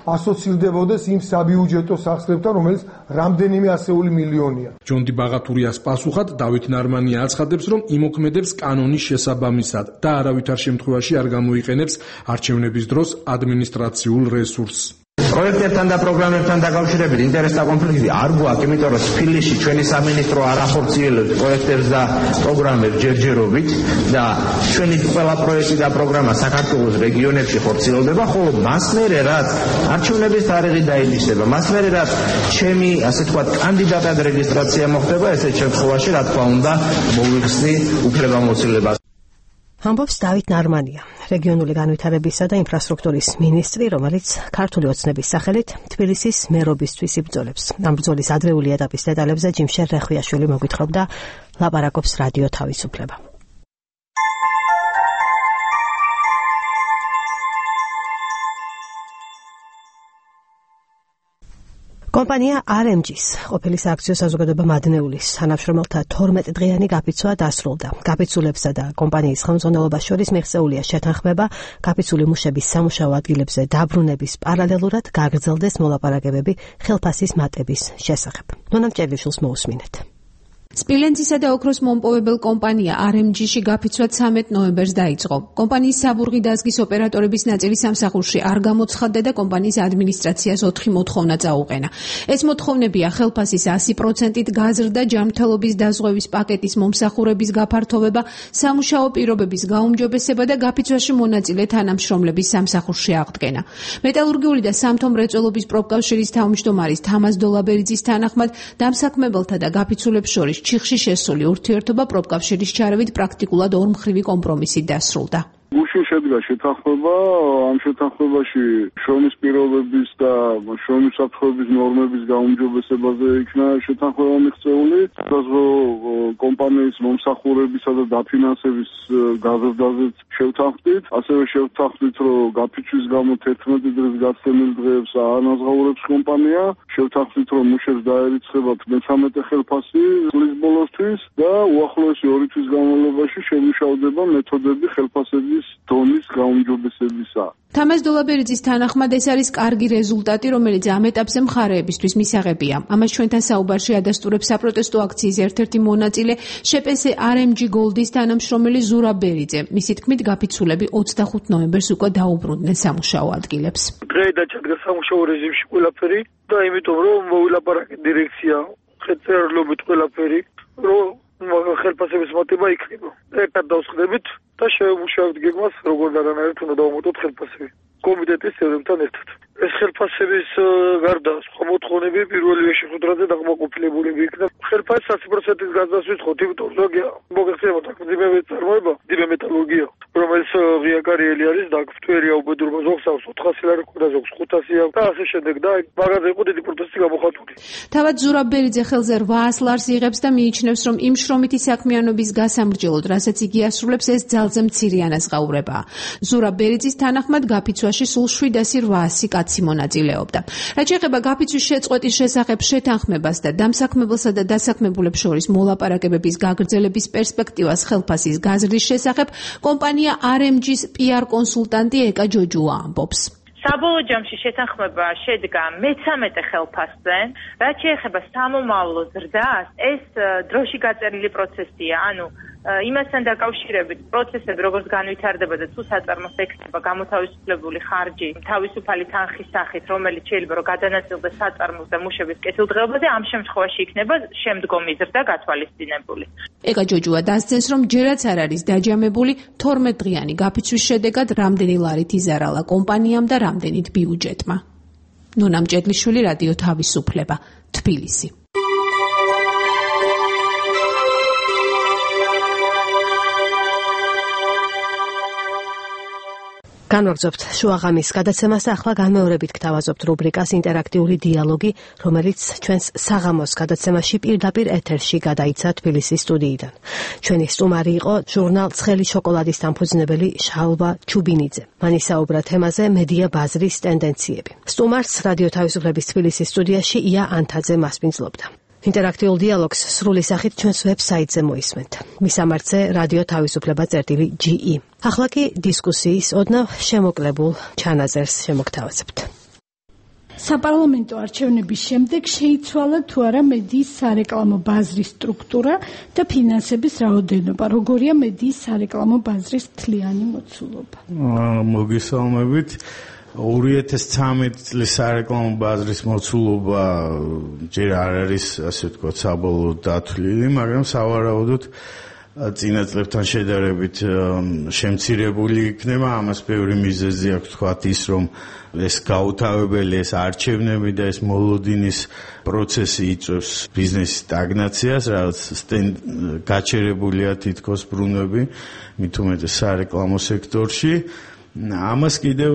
ასოცირდებოდეს იმ საბიუჯეტო სახსრებთან, რომელიც რამდენიმე ასეული მილიონია. ჯონდი ბაღათურიას პასუხად დავით ნარმანია აცხადებს, რომ იმოქმედებს კანონის შესაბამისად და არავითარ შემთხვევაში არ გამოიყენებს არჩევნების დროს ადმინისტრაციულ რესურსს. პროექტებთან და პროგრამებთან დაკავშირებით ინტერესთა კონფლიქტი არ გვაქვს, იმიტომ რომ თბილისში ჩვენი სამინისტრო არ ახორციელებს პროექტებს და პროგრამებს ჯერჯერობით და ჩვენი ყველა პროექტი და პროგრამა საქართველოს რეგიონებში ხორციელდება, ხოლო მას მერე რაც არჩევნების თარიღი დაინიშნება, მას მერე რაც ჩემი ასე თქვა კანდიდატად რეგისტრაცია მოხდება, ესეთ შემთხვევაში რა თქმა უნდა მოვიხსნი უფლებამოსილებას. ამბობს დავით ნარმანია, რეგიონული განვითარებისა და ინფრასტრუქტურის მინისტრი, რომელიც ქართული ოცნების სახელით თბილისის მერობისთვის იბრძოლებს. ამ ბრძოლის ადრეული ეტაპის დეტალებზე ჯიმშერ რეხვიაშვილი მოგვითხრობდა, ლაპარაკობს რადიო თავისუფლება. კომპანია RMG-ს ყოფილი სააქციო საზოგადოება მადნეულის თანამშრომელთა 12 დღიანი გაფიცვა დასრულდა. გაფიცულებსა და კომპანიის ხელმძღვანელობას შორის მიღწეულია შეთანხმება, გაფიცული მუშების სამუშაო ადგილებზე დაბრუნების პარალელურად გაგრძელდეს მოლაპარაკებები ხელფასის მატების შესახებ. ნონა მჭერლიშვილს მოусმინეთ. სპილენძისა და ოქროს მომპოვებელ კომპანია RMG-ში გაფიცვა 13 ნოემბერს დაიწყო. კომპანიის საბურღი დაზგის ოპერატორების ნაწილი სამსახურში არ გამოცხადდა და კომპანიის ადმინისტრაციას 4 მოთხოვნა წაუყენა. ეს მოთხოვნებია ხელფასის 100%-ით გაზრდა, ჯანმრთელობის დაზღვევის პაკეტის მომსახურების გაფართოვება, სამუშაო პირობების გაუმჯობესება და გაფიცვაში მონაწილე თანამშრომლების სამსახურში აღდგენა. მეტალურგიული და სამთო მრეწველობის პროფკავშირის თავმჯდომარის თამაზ დოლაბერიძის თანახმად, დამსაქმებელთა და გაფიცულებს შორის ჩიხში შესული ურთიერთობა პროფკავშირის ჩარევით პრაქტიკულად ორმხრივი კომპრომისით დასრულდა. გუშინ შედგა შეთანხმება, ამ შეთანხმებაში შრომის პირობების და შრომის საფრთხეების ნორმების გაუმჯობესებაზე იქნა შეთანხმება მიღწეული. საზღვაო კომპანიის მომსახურებისა და დაფინანსების გაზრდაზეც შევთანხმდით. ასევე შევთანხმდით, რომ გაფიცვის გამო 11 დღის გასცემილ დღეებს ანაზღაურებს კომპანია. შევთანხმდით, რომ მუშებს დაერიცხებათ 13 ხელფასი წლის ბოლოსთვის და უახლოესი 2 თვის განმავლობაში შემუშავდება მეთოდები ხელფასების დონის გაუმჯობესებისა. თამაზ დოლაბერიძის თანახმად ეს არის კარგი რეზულტატი, რომელიც ამ ეტაპზე მხარეებისთვის მისაღებია. ამას ჩვენთან საუბარში ადასტურებს საპროტესტო აქციის ერთ-ერთი მონაწილე შეპესე RMG Gold-ის თანამშრომელი ზურაბ ბერიძე. მისი თქმით, გაფიცულები 25 ნოემბერს უკვე დაუბრუნდნენ სამუშაო ადგილებს. დღე დაჩადგა სამუშაო რეჟიმში ყველაფერი და იმიტომ რომ მოვილაპარაკეთ დირექცია ხელწერლობით ყველაფერი, რომ ხელფასების მატება იქნება. ერთად დავსხდებით და შევმუშავებთ გეგმას, როგორ და რანაირად უნდა დავამატოთ ხელფასები. კომიტეტის წევრებთან ერთად. ეს ხელფასების გარდა სხვა მოთხოვნები პირველივე შეხვედრაზე დაკმაყოფილებულები იქნა. ხელფასის 100%-ის გადასვით ხო ტიპოლოგია მოგეხსენებათ მძიმე წარმოება, მძიმე მეტალურგია, რომელიც ღია კარიელი არის და ფტვერია უბედურობა ზოგს აქვს 400 ლარი და ზოგს 500 და ასე შემდეგ და მაგაზე იყო დიდი პროტესტი გამოხატული. თავად ზურაბ ბერიძე ხელზე 800 ლარს იღებს და მიიჩნევს, რომ იმ შრომითი საქმიანობის გასამრჯელოდ, რასაც იგი ასრულებს, ეს ძალზე მცირე ანაზღაურებაა. ზურაბ ბერიძის თანახმად გაფიცვაში სულ 700-800 კაცი მონაწილეობდა. რაც შეეხება გაფიცვის შეწყვეტის შესახებ შეთანხმებას და დამსაქმებელსა და დასაქმებულებს შორის მოლაპარაკებების გაგრძელების პერსპექტივას ხელფასის გაზრდის შესახებ, კომპანია RMG-ს PR კონსულტანტი ეკა ჯოჯუა ამბობს. საბოლოო ჯამში შეთანხმება შედგა მე-13 ხელფასზე, რაც შეეხება სამომავლო ზრდას, ეს დროში გაწერილი პროცესია, ანუ იმასთან დაკავშირებით პროცესები როგორც განვითარდება და თუ საწარმოს ექნება გამოთავისუფლებული ხარჯი თავისუფალი თანხის სახით, რომელიც შეიძლება რომ გადანაწილდეს საწარმოს და მუშების კეთილდღეობაზე, ამ შემთხვევაში იქნება შემდგომი ზრდა გათვალისწინებული. ეკა ჯოჯუა დასცენს, რომ ჯერაც არ არის დაჯამებული 12 დღიანი გაფიცვის შედეგად რამდენი ლარით იზარალა კომპანიამ და რამდენით ბიუჯეტმა. ნონა მჭედლიშვილი, რადიო თავისუფლება, თბილისი. განვაგრძობთ შუაღამის გადაცემას და ახლა განმეორებით გთავაზობთ რუბრიკას ინტერაქტიული დიალოგი, რომელიც ჩვენს საღამოს გადაცემაში პირდაპირ ეთერში გადაიცა თბილისის სტუდიიდან. ჩვენი სტუმარი იყო ჟურნალ ცხელი შოკოლადის დამფუძნებელი შალვა ჩუბინიძე. მან ისაუბრა თემაზე მედია ბაზრის ტენდენციები. სტუმარს რადიო თავისუფლების თბილისის სტუდიაში ია ანთაძე მასპინძლობდა. ინტერაქტიულ დიალოგს სრული სახით ჩვენს ვებსაიტზე მოისმენთ. მისამართზე რადიო თავისუფლება.ge. ახლა კი დისკუსიის ოდნავ შემოკლებულ ჩანაწერს შემოგთავაზებთ. საპარლამენტო არჩევნების შემდეგ შეიცვალა თუ არა მედიის სარეკლამო ბაზრის სტრუქტურა და ფინანსების რაოდენობა. როგორია მედიის სარეკლამო ბაზრის მთლიანი მოცულობა? მოგესალმებით. 2013 წლის სარეკლამო ბაზრის მოცულობა ჯერ არ არის, ასე ვთქვათ, საბოლოოდ დათვლილი, მაგრამ სავარაუდოდ წინა წლებთან შედარებით შემცირებული იქნება. ამას ბევრი მიზეზი აქვს, თქვათ ის, რომ ეს გაუთავებელი, ეს არჩევნები და ეს მოლოდინის პროცესი იწვევს ბიზნესის სტაგნაციას, რაც გაჩერებულია თითქოს ბრუნვები, მით უმეტეს სარეკლამო სექტორში. ამას კიდევ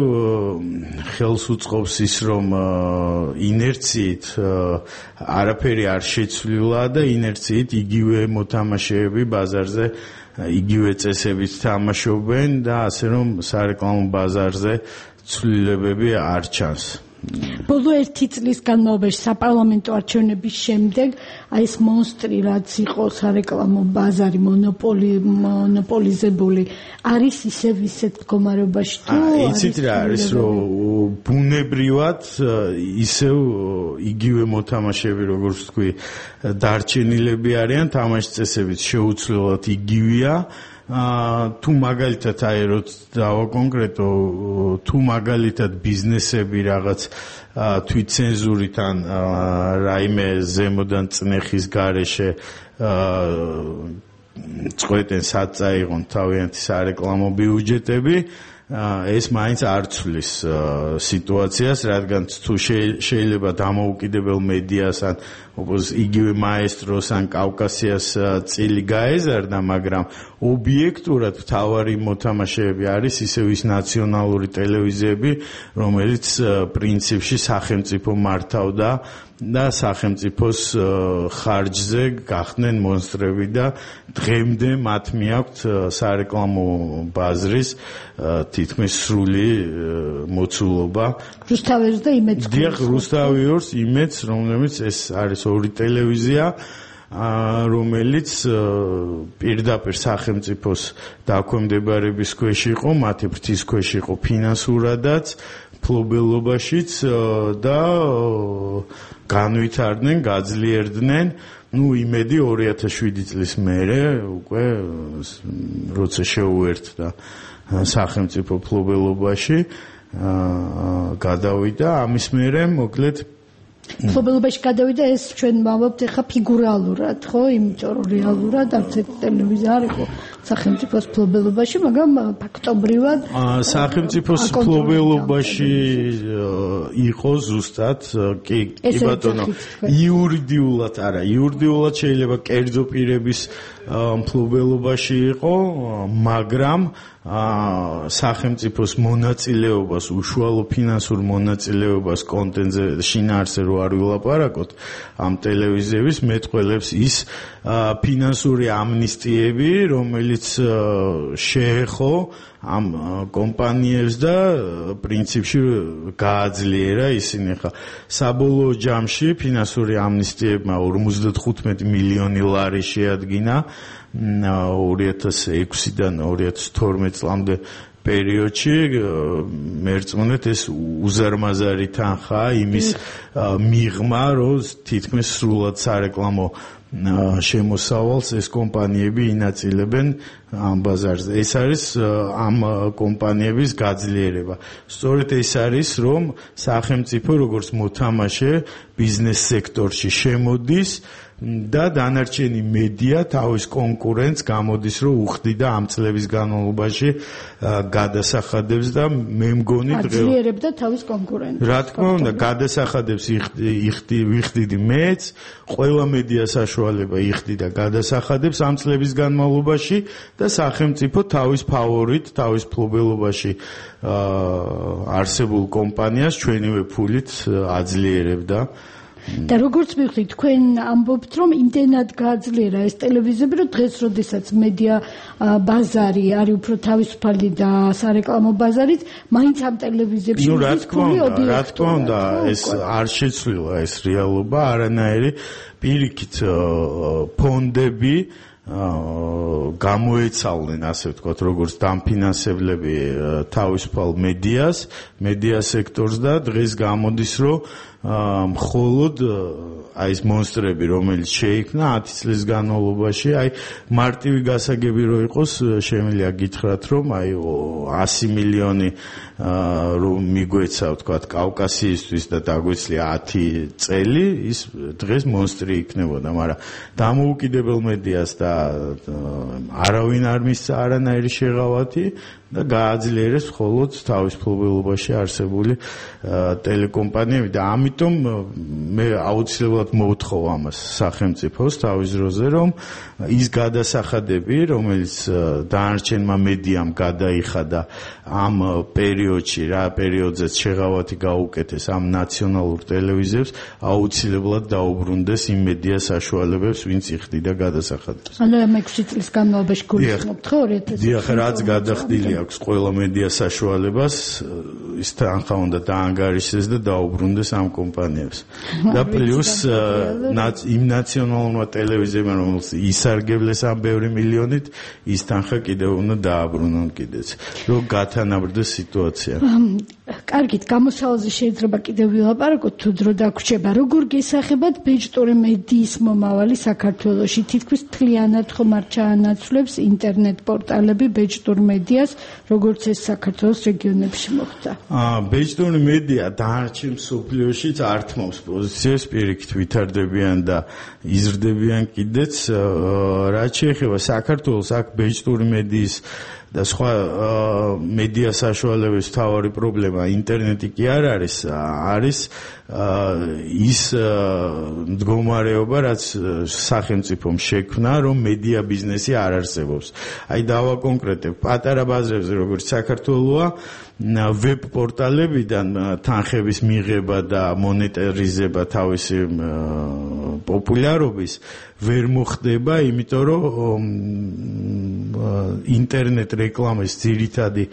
ხელს უწყობს ის, რომ ინერციით არაფერი არ შეცვლილა და ინერციით იგივე მოთამაშეები ბაზარზე იგივე წესებით თამაშობენ და ასე რომ სარეკლამო ბაზარზე ცვლილებები არ ჩანს. ბოლო 1 წლის განმავლობაში საპარლამენტო არჩევნების შემდეგ აი ეს მონსტრი რაც იყო სარეკლამო ბაზარი მონოპოლიზებული არის ისევ ისეთ მდგომარეობაში თუ იცით რა არის რომ ბუნებრივად ისევ იგივე მოთამაშეები როგორც თქვი დარჩენილები არიან, თამაშის წესებიც შეუცვლელად იგივეა. თუ მაგალითად აი როც დავაკონკრეტო, თუ მაგალითად ბიზნესები რაღაც თვითცენზურით ან რაიმე ზემოდან წნეხის გარეშე წყვეტენ სად წაიღონ თავიანთი სარეკლამო ბიუჯეტები, ეს მაინც არ ცვლის სიტუაციას, რადგან თუ შეიძლება დამოუკიდებელ მედიას ან იგივე მაესტროს ან კავკასიას წილი გაეზარდა, მაგრამ ობიექტურად მთავარი მოთამაშეები არის ისევ ის ნაციონალური ტელევიზიები, რომელიც პრინციპში სახელმწიფო მართავდა და სახელმწიფოს ხარჯზე გახდნენ მონსტრები და დღემდე მათ მიაქვთ სარეკლამო ბაზრის თითქმის სრული მოცულობა. რუსთავიორს და იმედს. დიახ, რუსთავიორს, იმედს, რომელიც ეს არის ორი ტელევიზია, რომელიც პირდაპირ სახელმწიფოს დაქვემდებარების ქვეშ იყო, მათი ფრთის ქვეშ იყო ფინანსურადაც, ფლობელობაშიც და განვითარდნენ, გაძლიერდნენ. იმედი 2007 წლის მერე უკვე როცა შეუერთდა სახელმწიფო ფლობელობაში გადავიდა, ამის მერე მოკლედ ფლობელობაში გადავიდა, ეს ჩვენ ვამბობთ ახლა ფიგურალურად, ხო, იმიტომ რომ რეალურად არც ერთი ტელევიზია არ იყო სახელმწიფოს ფლობელობაში, მაგრამ ფაქტობრივად სახელმწიფოს ფლობელობაში იყო ზუსტად, კი ბატონო, იურიდიულად არა, იურიდიულად შეიძლება კერძო პირების ფლობელობაში იყო, მაგრამ სახელმწიფოს მონაწილეობას, უშუალო ფინანსურ მონაწილეობას კონტენტზე შინაარსზე რო არ ვილაპარაკოთ, ამ ტელევიზიების მეტყველებს ის ფინანსური ამნისტიები, რომელიც შეეხო ამ კომპანიებს და პრინციპში გააძლიერა ისინი. ხა საბოლოო ჯამში ფინანსური ამნისტიებმა 55 მილიონი ლარი შეადგინა 2006-დან 2012 წლამდე პერიოდში მერწმუნეთ ეს უზარმაზარი თანხაა იმის მიღმა, რომ თითქმის სრულად სარეკლამო შემოსავალს ეს კომპანიები ინაწილებენ ამ ბაზარზე. ეს არის ამ კომპანიების გაძლიერება. სწორედ ეს არის, რომ სახელმწიფო როგორც მოთამაშე ბიზნეს სექტორში შემოდის და დანარჩენი მედია თავის კონკურენტს გამოდის, რომ უხდიდა ამ წლების განმავლობაში გადასახადებს და მე მგონი აძლიერებდა თავის კონკურენტს. რა თქმა უნდა, გადასახადებს ვიხდიდი მეც, ყველა მედია საშუალება იხდიდა გადასახადებს ამ წლების განმავლობაში და სახელმწიფო თავის ფავორიტ, თავის ფლობელობაში არსებულ კომპანიას ჩვენივე ფულით აძლიერებდა. და როგორც მივხვდით, თქვენ ამბობთ, რომ იმდენად გააძლიერა ეს ტელევიზიები, რომ დღეს, როდესაც მედია ბაზარი არის უფრო თავისუფალი და სარეკლამო ბაზარით, მაინც ამ ტელევიზიებში ფული ობიექტია. რა თქმა უნდა, ეს არ შეცვლილა ეს რეალობა, არანაირი პირიქით ფონდები გამოეცალნენ, ასე ვთქვათ, როგორც დამფინანსებლები თავისუფალ მედია სექტორს და დღეს გამოდის, რომ მხოლოდ აი ეს მონსტრები, რომელიც შეიქმნა 10 წლის განმავლობაში, აი მარტივი გასაგები რო იყოს, შემიძლია გითხრათ, რომ აი 100 მილიონი რომ მიგვეცა, ვთქვათ, კავკასიისთვის და დაგვეცლია 10 წელი, ის დღეს მონსტრი იქნებოდა, მაგრამ დამოუკიდებელ მედიას და არავინ არ მისცა არანაირი შეღავათი და გააძლიერეს მხოლოდ თავის ფლობელობაში არსებული ტელეკომპანიები და ამიტომ მე აუცილებლად მოვთხოვ ამას სახელმწიფოს თავის დროზე, რომ ის გადასახადები, რომელიც დანარჩენმა მედიამ გადაიხადა ამ პერიოდში, რა პერიოდზეც შეღავათი გაუკეთეს ამ ნაციონალურ ტელევიზიებს, აუცილებლად დაუბრუნდეს იმ მედია საშუალებებს, ვინც იხდიდა გადასახადებს. ანუ ამ 6 წლის განმავლობაში გულისხმობთ ხო 2000? დიახ, რაც გადახდილი აქვს ყველა მედია საშუალებას, ის თანხა უნდა დაანგარიშდეს და დაუბრუნდეს ამ კომპანიებს. და პლუს იმ ნაციონალურმა ტელევიზიებმა, რომელიც ისარგებლეს ამ ბევრი მილიონით, ის თანხა კიდევ უნდა დააბრუნონ კიდეც, რომ გათანაბრდეს სიტუაცია. კარგით, გამოსავალზე შეიძლება კიდევ ვილაპარაკოთ, თუ დრო დაგვრჩება. როგორ გესახებათ ბეჭდური მედიის მომავალი საქართველოში? თითქმის მთლიანად ხომ არ ჩაანაცვლებს ინტერნეტ პორტალები ბეჭდურ მედიას, როგორც ეს საქართველოს რეგიონებში მოხდა? ბეჭდური მედია დანარჩენ მსოფლიოშიც ართმობს პოზიციებს, პირიქით ვითარდებიან და იზრდებიან კიდეც. რაც შეეხება საქართველოს, აქ ბეჭდური მედიის და სხვა მედია საშუალებების თავარი პრობლემა ინტერნეტი კი არ არის, არის ის მდგომარეობა, რაც სახელმწიფომ შექმნა, რომ მედია ბიზნესი არ არსებობს. აი დავაკონკრეტებ, პატარა ბაზრებზე, როგორც საქართველოა, ვებ პორტალებიდან თანხების მიღება და მონეტარიზება თავისი პოპულარობის ვერ მოხდება, იმიტომ რომ ინტერნეტ რეკლამის ძირითადი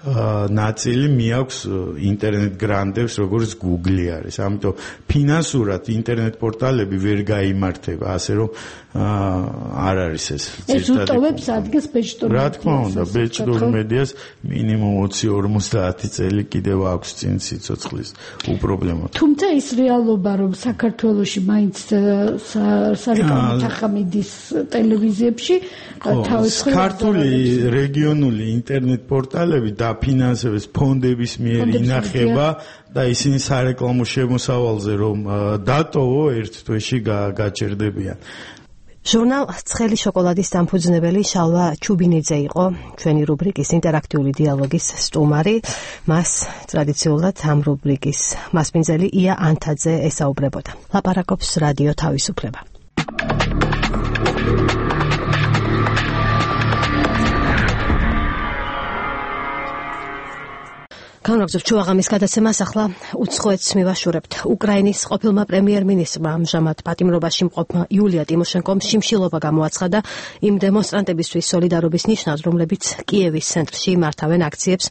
ნაწილი მიაქვს ინტერნეტ გრანდებს, როგორც Google არის. ამიტომ ფინანსურად ინტერნეტ პორტალები ვერ გაიმართება, ასე რომ არ არის ეს ძირითადი. ეს უტოვებს ადგილს ბეჭდურ მედიას. რა თქმა უნდა, ბეჭდურ მედიას მინიმუმ 20-50 წელი კიდევ აქვს წინ სიცოცხლის უპრობლემოდ. თუმცა ის რეალობა, რომ საქართველოში მაინც სარეკლამო თანხა მიდის ტელევიზიებში, თავისუფლად ქართული რეგიონული ინტერნეტ პორტალები დაფინანსების ფონდების მიერ ინახება და ისინი სარეკლამო შემოსავალზე რომ დატოვო ერთ თვეში გაჩერდებიან. ჟურნალ ცხელი შოკოლადის დამფუძნებელი შალვა ჩუბინიძე იყო ჩვენი რუბრიკის ინტერაქტიული დიალოგის სტუმარი. მას ტრადიციულად ამ რუბრიკის მასპინძელი ია ანთაძე ესაუბრებოდა. ლაპარაკობს რადიო თავისუფლება. განვაგრძობ ჩვაღამის გადაცემას, ახლა უცხოეთს მივაშურებთ. უკრაინის ყოფილმა პრემიერ-მინისტრმა ამჟამად პატიმრობაში მყოფმა იულია ტიმოშენკომ შიმშილობა გამოაცხადა იმ დემონსტრანტებისთვის სოლიდარობის ნიშნად, რომლებიც კიევის ცენტრში მართავენ აქციებს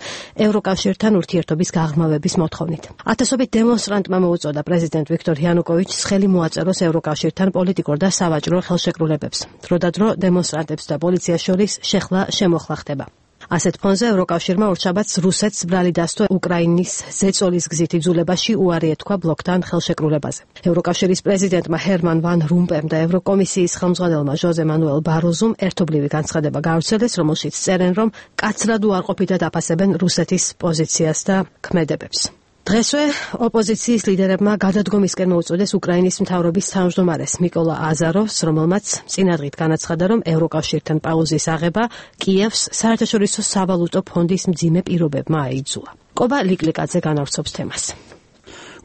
ევროკავშირთან ურთიერთობის გაღრმავების მოთხოვნით. ათასობით დემონსტრანტმა მოუწოდა პრეზიდენტ ვიქტორ იანუკოვიჩს ხელი მოაწეროს ევროკავშირთან პოლიტიკურ და სავაჭრო ხელშეკრულებებს. დროდადრო დემონსტრანტებს და პოლიციას შორის შეხლა-შემოხლა ხდება. ასეთ ფონზე ევროკავშირმა ორშაბათს რუსეთს ბრალი დასთო უკრაინის ზეწოლის გზით იძულებაში უარი ეთქვა ბლოკთან ხელშეკრულებაზე. ევროკავშირის პრეზიდენტმა ჰერმან ვან რომპემ და ევროკომისიის ხელმძღვანელმა ჟოზე მანუელ ბაროზუმ ერთობლივი განცხადება გავრცელეს, რომელშიც წერენ, რომ კაცრად უარყოფითად აფასებენ რუსეთის პოზიციას და ქმედებებს. დღესვე ოპოზიციის ლიდერებმა გადადგომისკენ მოუწოდეს უკრაინის მთავრობის თავმჯდომარეს მიკოლა აზაროვს, რომელმაც წინადღით განაცხადა, რომ ევროკავშირთან პაუზის აღება კიევს საერთაშორისო სავალუტო ფონდის მძიმე პირობებმა აიძულა. კობა ლიკლიკაძე განავრცობს თემას.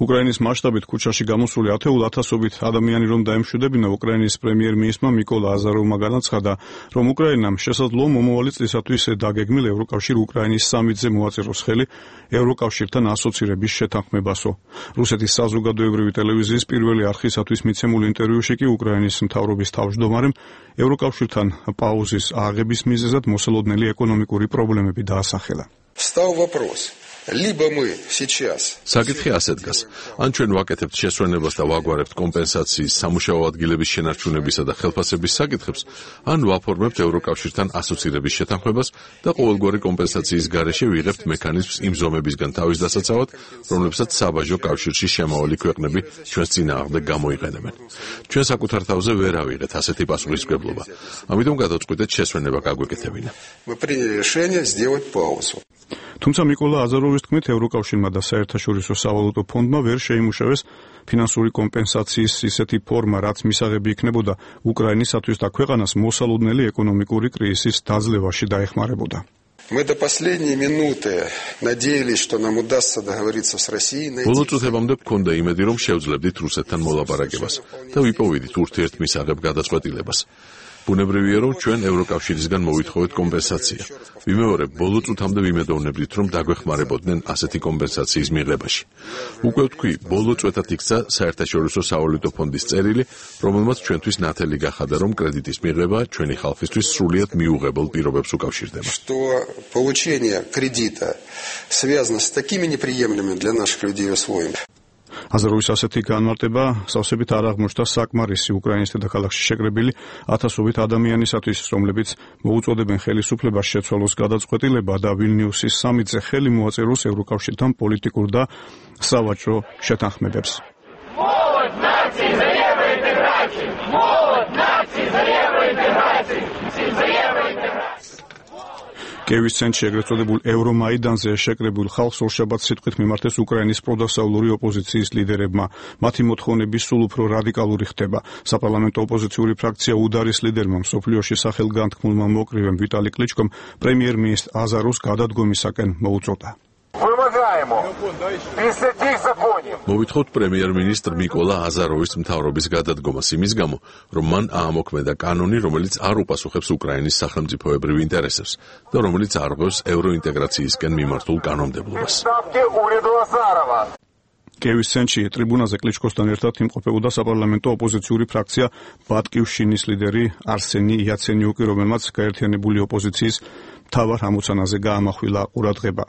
უკრაინის მასშტაბით ქუჩაში გამოსული 10,000-ობით ადამიანი რომ დაემშვიდებინა, უკრაინის პრემიერ-მინისტრმა მიკოლა აზაროვმა განაცხადა, რომ უკრაინამ შესაძლოა მომავალი წლისათვის დაგეგმილ ევროკავშირ უკრაინის სამიტზე მოაწეროს ხელი ევროკავშირთან ასოცირების შეთანხმებასო. რუსეთის საზოგადოებრივი ტელევიზიის პირველი არხისათვის მიცემულ ინტერვიუში კი უკრაინის მთავრობის თავმჯდომარემ ევროკავშირთან პაუზის აღების მიზეზად მოსალოდნელი ეკონომიკური პრობლემები დაასახელა. Встал вопрос. Либо мы сейчас საკითხი ასე დგას. ან ჩვენ ვაკეთებთ შესვენებას და ვაგვარებთ კომპენსაციის სამუშაო ადგილების შენარჩუნებისა და ხელფასების საკითხებს, ან ვაფორმებთ ევროკავშირთან ასოცირების შეთანხმებას და ყოველგვარი კომპენსაციის გარეშე ვიღებთ მექანიზმს იმ ზომებისგან თავის დასაცავად, რომლებსაც საბაჟო კავშირში შემავალი ქვეყნები ჩვენს წინააღმდეგ გამოიყენებენ. ჩვენ საკუთარ თავზე ვერ ავიღეთ ასეთი პასუხისმგებლობა. ამიტომ გადავწყვიტეთ შესვენება გაგვეკეთებინა. Мы приняли решение сделать паузу. თუმცა მიკოლა აზაროვის თქმით, ევროკავშირმა და საერთაშორისო სავალუტო ფონდმა ვერ შეიმუშავეს ფინანსური კომპენსაციის ისეთი ფორმა, რაც მისაღები იქნებოდა უკრაინისათვის და ქვეყანას მოსალოდნელი ეკონომიკური კრიზისის დაძლევაში დაეხმარებოდა. Мы до последней минуты надеялись, что нам удастся договориться с Россией. ბოლო წუთებამდე მქონდა იმედი, რომ შევძლებდით რუსეთთან მოლაპარაკებას და ვიპოვიდით ურთიერთმისაღებ გადაწყვეტილებას. ბუნებრივია, რომ ჩვენ ევროკავშირისგან მოვითხოვეთ კომპენსაცია. ვიმეორებ, ბოლო წუთამდე ვიმედოვნებდით, რომ დაგვეხმარებოდნენ ასეთი კომპენსაციის მიღებაში. უკვე ვთქვი, ბოლო წვეთად იქცა საერთაშორისო სავალუტო ფონდის წერილი, რომელმაც ჩვენთვის ნათელი გახადა, რომ კრედიტის მიღება ჩვენი ხალხისთვის სრულიად მიუღებელ პირობებს უკავშირდება. Что получение кредита связано с такими неприемлемыми для наших людей условиями. აზაროვის ასეთი განმარტება სავსებით არ აღმოჩნდა საკმარისი უკრაინის დედაქალაქში შეკრებილი 1000-ობით ადამიანისათვის, რომლებიც მოუწოდებენ ხელისუფლებას შეცვალოს გადაწყვეტილება და ვილნიუსის სამიტზე ხელი მოაწეროს ევროკავშირთან პოლიტიკურ და სავაჭრო შეთანხმებებს. კიევის ცენტრში ეგრეთ წოდებულ ევრომაიდანზე შეკრებულ ხალხს ორშაბათს სიტყვით მიმართეს უკრაინის პროდასავლური ოპოზიციის ლიდერებმა. მათი მოთხოვნები სულ უფრო რადიკალური ხდება. საპარლამენტო ოპოზიციური ფრაქცია უდარის ლიდერმა მსოფლიოში სახელგანთქმულმა მოკრივემ ვიტალი კლიჩკომ პრემიერ-მინისტრ აზაროვს გადადგომისაკენ მოუწოდა. მოვითხოვთ პრემიერ-მინისტრ მიკოლა აზაროვის მთავრობის გადადგომას იმის გამო, რომ მან აამოქმედა კანონი, რომელიც არ უპასუხებს უკრაინის სახელმწიფოებრივ ინტერესებს და რომელიც არღვევს ევროინტეგრაციისკენ მიმართულ კანონმდებლობას. კიევის ცენტრში ტრიბუნაზე კლიჩკოსთან ერთად იმყოფებოდა საპარლამენტო ოპოზიციური ფრაქცია ბატკივშინის ლიდერი არსენი იაცენიუკი, რომელმაც გაერთიანებული ოპოზიციის მთავარ ამოცანაზე გაამახვილა ყურადღება.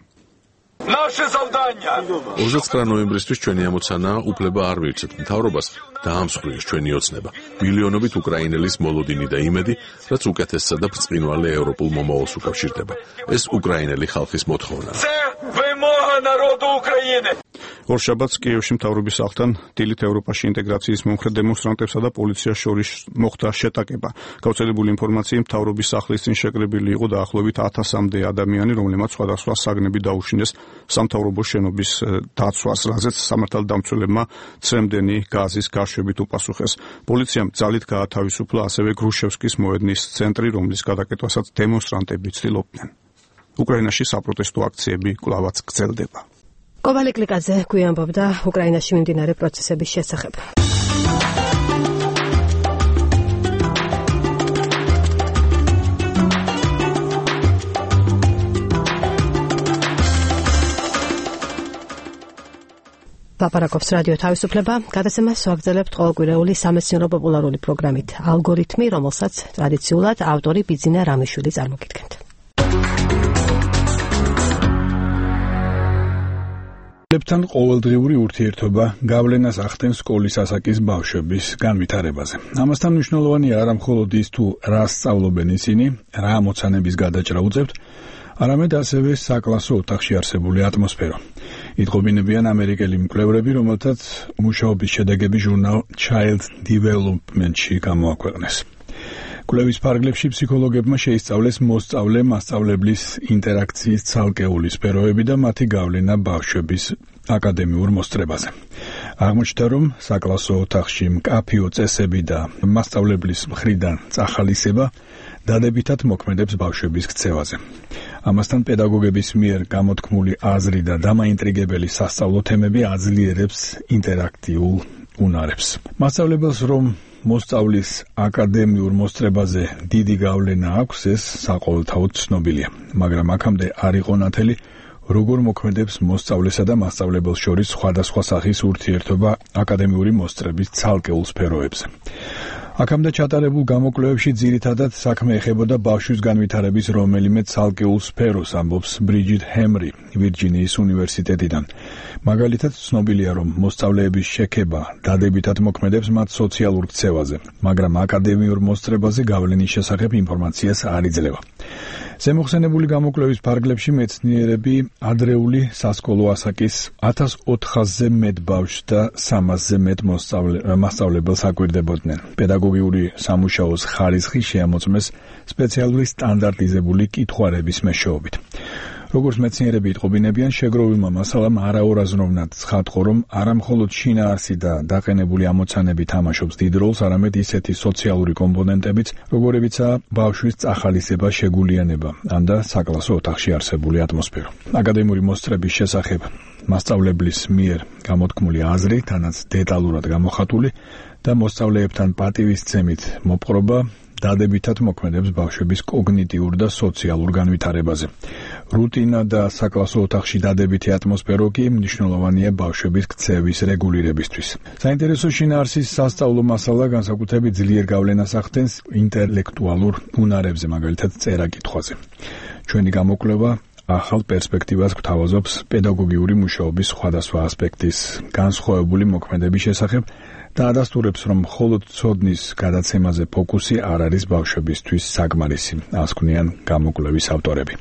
29 ნოემბრისთვის ჩვენი ამოცანაა უფლება არ მივცეთ მთავრობას დაამსხვრიოს ჩვენი ოცნება. მილიონობით უკრაინელის მოლოდინი და იმედი, რაც უკეთესსა და ბრწყინვალე ევროპულ მომავალს უკავშირდება. ეს უკრაინელი ხალხის მოთხოვნაა. ორშაბათს კიევში მთავრობის სახლთან დილით ევროპაში ინტეგრაციის მომხრე დემონსტრანტებსა და პოლიციას შორის მოხდა შეტაკება. გავრცელებული ინფორმაციით მთავრობის სახლის წინ შეკრებილი იყო დაახლოებით 1000-მდე ადამიანი, რომლებმაც სხვადასხვა საგნები დაუშინეს სამთავრობო შენობის დაცვას, რაზეც სამართალდამცველებმა ცრემდენი გაზის გაშვებით უპასუხეს. პოლიციამ ძალით გაათავისუფლა ასევე გრუშევსკის მოედნის ცენტრი, რომლის გადაკეთვასაც დემონსტრანტები ცდილობდნენ. უკრაინაში საპროტესტო აქციები კვლავაც გრძელდება. კობა ლიკლიკაძე გვიამბობდა უკრაინაში მიმდინარე პროცესების შესახებ. ლაპარაკობს რადიო თავისუფლება. გადაცემას ვაგრძელებთ ყოველკვირეული სამეცნიერო პოპულარული პროგრამით ალგორითმი, რომელსაც ტრადიციულად ავტორი ბიძინა რამიშვილი წარმოგიდგენთ. ლებთან ყოველდღიური ურთიერთობა გავლენას ახდენს სკოლის ასაკის ბავშვების განვითარებაზე. ამასთან მნიშვნელოვანია არა მხოლოდ ის თუ რა სწავლობენ ისინი, რა ამოცანების გადაჭრა უწევთ, არამედ ასევე საკლასო ოთახში არსებული ატმოსფერო. იტყობინებიან ამერიკელი მკვლევრები, რომელთაც მუშაობის შედეგები ჟურნალ Child Development-ში გამოაქვეყნეს. კვლევის ფარგლებში ფსიქოლოგებმა შეისწავლეს მოსწავლე-მასწავლებლის ინტერაქციის ცალკეული სფეროები და მათი გავლენა ბავშვების აკადემიურ მოსწრებაზე. აღმოჩნდა, რომ საკლასო ოთახში მკაფიო წესები და მასწავლებლის მხრიდან წახალისება დადებითად მოქმედებს ბავშვების ქცევაზე. ამასთან პედაგოგების მიერ გამოთქმული აზრი და დამაინტრიგებელი სასწავლო თემები აძლიერებს ინტერაქტიულ უნარებს. მასწავლებელს რომ მოსწავლის აკადემიურ მოსწრებაზე დიდი გავლენა აქვს, ეს საყოველთაოდ ცნობილია, მაგრამ აქამდე არ იყო ნათელი, როგორ მოქმედებს მოსწავლესა და მასწავლებელს შორის სხვადასხვა სახის ურთიერთობა აკადემიური მოსწრების ცალკეულ სფეროებზე. აქამდე ჩატარებულ გამოკვლევებში ძირითადად საქმე ეხებოდა ბავშვის განვითარების რომელიმე ცალკეულ სფეროს, ამბობს ბრიჯიტ ჰემრი ვირჯინიის უნივერსიტეტიდან. მაგალითად, ცნობილია, რომ მოსწავლეების შექება დადებითად მოქმედებს მათ სოციალურ ქცევაზე, მაგრამ აკადემიურ მოსწრებაზე გავლენის შესახებ ინფორმაციას არ იძლევა. ზემოხსენებული გამოკვლევის ფარგლებში მეცნიერები ადრეული სასკოლო ასაკის 1400-ზე მეტ ბავშვს და 300-ზე მეტ მასწავლებელს აკვირდებოდნენ. პედაგოგიური სამუშაოს ხარისხი შეამოწმეს სპეციალური სტანდარტიზებული კითხვარების მეშვეობით. როგორც მეცნიერები იტყობინებიან, შეგროვილმა მასალამ არაორაზროვნად ცხადყო, რომ არა მხოლოდ შინაარსი და დაყენებული ამოცანები თამაშობს დიდ როლს, არამედ ისეთი სოციალური კომპონენტებიც, როგორებიცაა ბავშვის წახალისება, შეგულიანება, ან და საკლასო ოთახში არსებული ატმოსფერო. აკადემიური მოსწრების შესახებ მასწავლებლის მიერ გამოთქმული აზრი, თანაც დეტალურად გამოხატული და მოსწავლეებთან პატივისცემით მოპყრობა დადებითად მოქმედებს ბავშვების კოგნიტიურ და სოციალურ განვითარებაზე. რუტინა და საკლასო ოთახში დადებითი ატმოსფერო კი მნიშვნელოვანია ბავშვების ქცევის რეგულირებისთვის. საინტერესო შინაარსის სასწავლო მასალა განსაკუთრებით ძლიერ გავლენას ახდენს ინტელექტუალურ უნარებზე, მაგალითად წერა-კითხვაზე. ჩვენი გამოკვლევა ახალ პერსპექტივას გვთავაზობს პედაგოგიური მუშაობის სხვადასხვა ასპექტის განსხვავებული მოქმედების შესახებ და ადასტურებს, რომ მხოლოდ ცოდნის გადაცემაზე ფოკუსი არ არის ბავშვებისთვის საკმარისი, ასკვნიან გამოკვლევის ავტორები.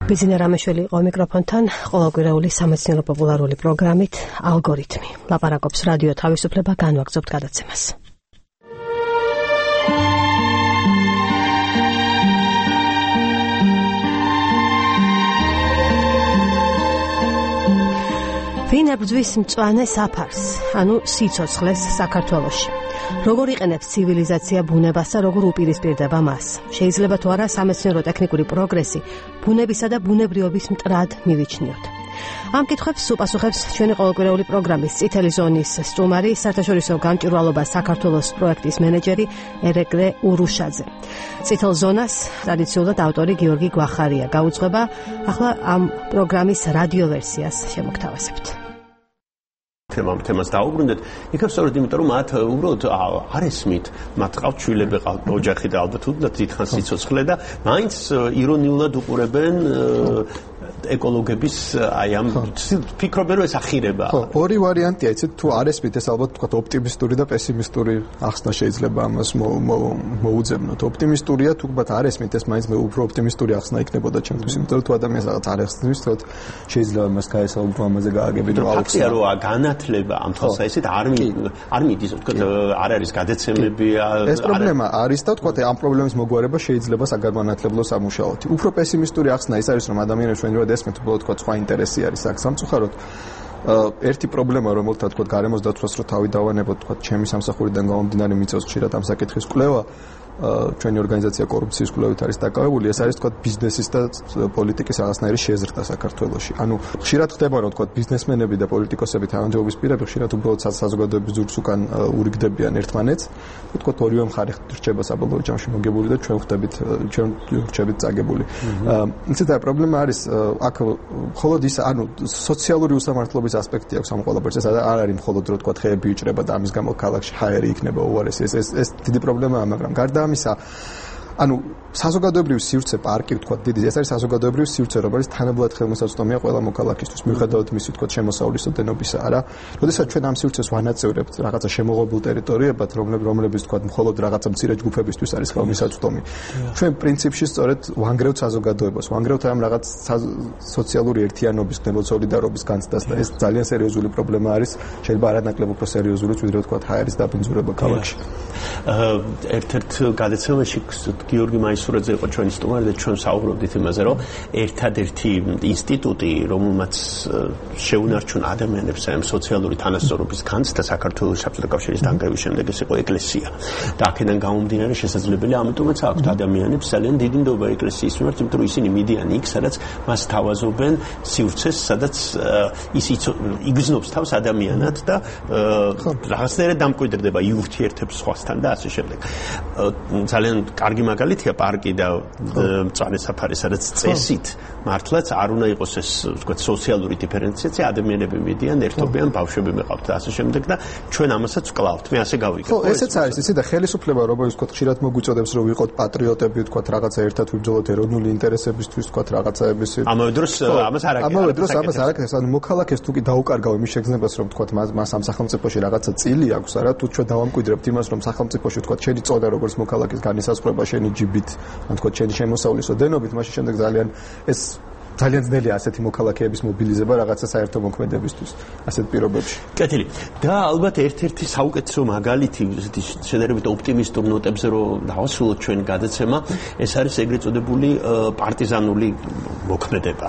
ბიზნეს რამეშველი იყო მიკროფონთან, ყოველკვირეული სამეცნიერო პოპულარული პროგრამით ალგორითმი. ლაპარაკობს რადიო თავისუფლება, განვაგრძობთ გადაცემას. ვინ ებრძვის მწვანე საფარს, ანუ სიცოცხლეს საქართველოში? როგორ იყენებს ცივილიზაცია ბუნებას და როგორ უპირისპირდება მას? შეიძლება თუ არა სამეცნიერო-ტექნიკური პროგრესი ბუნებისა და ბუნებრიობის მტრად მივიჩნიოთ? ამ კითხვებს უპასუხებს ჩვენი ყოველკვირეული პროგრამის წითელი ზონის სტუმარი, საერთაშორისო გამჭვირვალობა საქართველოს პროექტის მენეჯერი ერეკლე ურუშაძე. წითელ ზონას ტრადიციულად ავტორი გიორგი გვახარია გაუძღვება. ახლა ამ პროგრამის რადიო ვერსიას შემოგთავაზებთ. თემას დაუბრუნდეთ, იქაც სწორედ იმიტომ, რომ მათ უბრალოდ არ ესმით, მათ ყავთ შვილები, ყავთ ოჯახი და ალბათ უდნათ დიდხანს სიცოცხლე და მაინც ირონიულად უყურებენ ეკოლოგების აი ამ ფიქრობენ, რომ ეს ახირება. ხო, ორი ვარიანტია, იცით, თუ არ ესმით, ეს ალბათ თქვა ოპტიმისტური და პესიმისტური ახსნა შეიძლება ამას მოუძებნოთ. ოპტიმისტურია, თუ თქვა არ ესმით, ეს მაინც უფრო ოპტიმისტური ახსნა იქნებოდა ჩემთვის, იმიტომ რომ თუ ადამიანს რაღაც არ ესმის, თქო შეიძლება მას გაესაუბრო ამაზე გააგებით, რომ აუხსნა. რო განათლება ამ თვალსაჩინო არ მიდის, თქო არ არის გადაცემები. ეს პრობლემა არის და თქო ამ პრობლემის მოგვარება შეიძლება საგანმანათლებლო სამუშაოთი. უფრო პესიმისტური ახსნა ის არის, რომ ადამიანებს ჩვენივად ესმით, უბრალოდ თქვა სხვა ინტერესი არის აქ სამწუხაროდ. ერთი პრობლემა, რომელთა თქვა გარემოს დაცვას რო თავი დავანებოთ, თქვა ჩემი სამსახურიდან გამომდინარე მიწევს ხშირად ამ საკითხის კვლევა. ჩვენი ორგანიზაცია კორუფციის კვლევით არის დაკავებული, ეს არის თქვა ბიზნესის და პოლიტიკის რაღაცნაირი შეზრდა საქართველოში. ანუ ხშირად ხდება, რომ თქვა ბიზნესმენები და პოლიტიკოსები თანამდებობის პირები ხშირად უბრალოდ საზოგადოების ზურგს უკან ურიგდებიან ერთმანეთს. თქვა ორივე მხარე რჩება საბოლოო ჯამში მოგებული და ჩვენ რჩებით წაგებული. ისეთ პრობლემა არის აქ მხოლოდ ის, ანუ სოციალური უსამართლობის ასპექტი აქვს ამ ყველაფერს. ეს არ არის მხოლოდ რომ თქვა ხეები იჭრება და ამის გამო ქალაქში ჰაერი იქნება უარესი. ეს დიდი პრობლემაა, მაგრამ გარდა ამისა ანუ საზოგადოებრივი სივრცე პარკი ვთქვათ დიდი ეს არის საზოგადოებრივი სივრცე რომელიც თანაბრად ხელმისაწვდომია ყველა მოქალაქისთვის მიუხედავად მისი ვთქვათ შემოსავლის ოდენობისა არა როდესაც ჩვენ ამ სივრცეს ვანაწევრებთ რაღაცა შემოღებულ ტერიტორიებად რომლებიც ვთქვათ მხოლოდ რაღაცა მცირე ჯგუფებისთვის არის ხელმისაწვდომი ჩვენ პრინციპში სწორედ ვანგრევთ საზოგადოებას ვანგრევთ ამ რაღაც სოციალური ერთიანობის სოლიდარობის განცდას და ეს ძალიან სერიოზული პრობლემა არის შეიძლება არანაკლებ უფრო სერიოზულიც ვიდრე ვთქვათ ჰაერის დაბინძურება ქალაქში ერთ-ერთ გადაცემაში გიორგი მაისურაძე იყო ჩვენი სტუმარი და ჩვენ საუბრობდით იმაზე რომ ერთადერთი ინსტიტუტი რომელმაც შეუნარჩუნა ადამიანებს ამ სოციალური თანასწორობის განცდა საქართველოს საბჭოთა კავშირის დანგრევის შემდეგ ეს იყო ეკლესია და აქედან გამომდინარე შესაძლებელია ამიტომაც აქვთ ადამიანებს ძალიან დიდი ნდობა ეკლესიის მიმართ იმიტომ რომ ისინი მიდიან იქ სადაც მას თავაზობენ სივრცეს სადაც ის იგრძნობს თავს ადამიანად და რაღაცნაირად დამკვიდრდება იურთიერთებს სხვასთან და ასე შემდეგ ძალიან კარგი მაგალითია პარკი და მწვანე საფარი სადაც წესით მართლაც არ უნდა იყოს ეს ვთქვათ სოციალური დიფერენციაცია ადამიანები მიდიან ერთობიან ბავშვები მეყავთ და ასე შემდეგ და ჩვენ ამასაც ვკლავთ მე ასე გავიგებ ხო ესეც არის იცი და ხელისუფლება რომელიც ვთქვათ ხშირად მოგვიწოდებს რომ ვიყოთ პატრიოტები ვთქვათ რაღაცა ერთად ვიბრძოლოთ ეროვნული ინტერესებისთვის ვთქვათ რაღაცაების ამავე დროს ამას არ აკეთებს ანუ მოქალაქეს თუ კი დაუკარგავ იმის შეგრძნებას რომ ვთქვათ მას ამ სახელმწიფოში რაღაცა წილი აქვს არა თუ ჩვენ დავამკვიდრებთ იმას რომ სახელმწიფოში ვთქვათ შენი წონა როგორც მოქალაქის განისაზღვრება შენი ჯიბით ან თქო შენი შემოსავლის ოდენობით მაშინ შემდეგ ძალიან ძნელია ასეთი მოქალაქეების მობილიზება რაღაცა საერთო მოქმედებისთვის ასეთ პირობებში. კეთილი. და ალბათ ერთ-ერთი საუკეთესო მაგალითი ესეთი შედარებით ოპტიმისტურ ნოტებზე რომ დავასრულოთ ჩვენ გადაცემა, ეს არის ეგრეთ წოდებული პარტიზანული მოქმედება.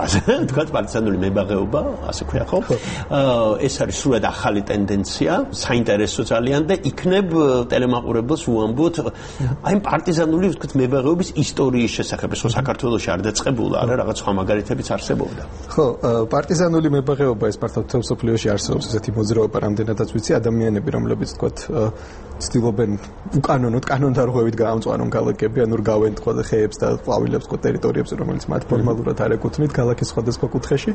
თქვათ პარტიზანული მებაღეობა, ასე ქვია ხო? ეს არის სრულად ახალი ტენდენცია, საინტერესო ძალიან და იქნებ ტელემაყურებელს უამბოთ აი პარტიზანული ვთქვათ მებაღეობის ისტორიის შესახებ, ეს საქართველოში არ დაწყებულა, არა რაღაც სხვა მაგალითი არსებობდა. ხო, პარტიზანული მებაღეობა ეს მართლა მთელ მსოფლიოში არსებობს ესეთი მოძრაობა, რამდენადაც ვიცი, ადამიანები, რომლებიც თქვათ ცდილობენ უკანონოდ კანონდარღვევით გაამწვანონ ქალაქები, ანუ რგავენ თქვათ ხეებს და ყვავილებს თქვათ ტერიტორიებზე, რომელიც მათ ფორმალურად არ ეკუთვნით ქალაქის სხვადასხვა კუთხეში.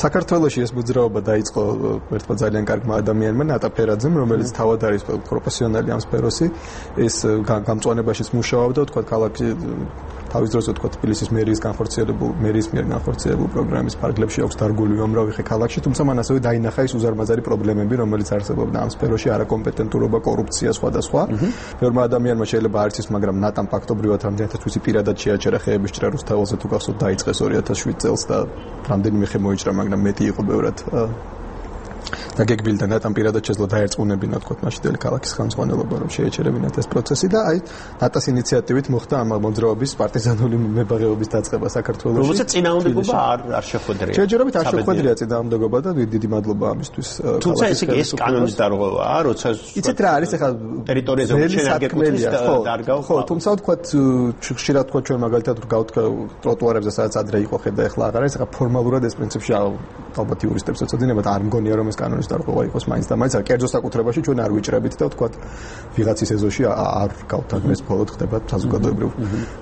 საქართველოში ეს მოძრაობა დაიწყო ერთმა ძალიან კარგმა ადამიანმა, ნატა ფერაძემ, რომელიც თავად არის პროფესიონალი ამ სფეროში, ეს გამწვანებაშიც მუშაობდა, თქვათ ქალაქი თავის დროზე თქვა თბილისის მერის მიერ განხორციელებულ პროგრამის ფარგლებში აქვს დარგული უამრავი ხე ქალაქში, თუმცა მან ასევე დაინახა ის უზარმაზარი პრობლემები, რომელიც არსებობდა ამ სფეროში, არაკომპეტენტურობა, კორუფცია სხვადასხვა. ბევრმა ადამიანმა შეიძლება არ იცის, მაგრამ ნატამ ფაქტობრივად რამდენადაც ვიცი პირადად შეაჩერა ხეების ჭრა რუსთაველზე თუ გახსოვთ დაიწყეს 2007 წელს და რამდენიმე ხე მოიჭრა, მაგრამ მეტი იყო ბევრად და გეგბილდა ნატამ პირადად შეძლო დაერწმუნებინა თქვათ მაშინდელი ქალაქის ხელმძღვანელობა რომ შეეჩერებინათ ეს პროცესი და აი ნატას ინიციატივით მოხდა ამ მოძრაობის პარტიზანული მებაღეობის დაწყება საქართველოში. რომელსაც წინააღმდეგობა არ შეხვედრია. შეჯერებით არ შეხვედრია წინააღმდეგობა და დიდი მადლობა ამისთვის. თუმცა ეს კანონის დარღვევაა, როცა იცით რა არის ახლა ტერიტორიაზე შენ არ გეკუთვნის და დარგავ. ხო, თუმცა თქვათ ხშირად თქვათ ჩვენ მაგალითად ვგავთ ტროტუარებზე სადაც ადრე იყო ხე და ახლა აღარ არის, ახლა ფორმალურად ეს პრინციპში ალბათ იურისტებს ეცოდინებათ, არ მგონია რომ ეს კანონის დარღვევა იყოს მაინც და მაინც კერძო საკუთრებაში ჩვენ არ ვიჭრებით და თქვათ ვიღაცის ეზოში არ გავთანხმდეს მხოლოდ ხდება საზოგადოებრივ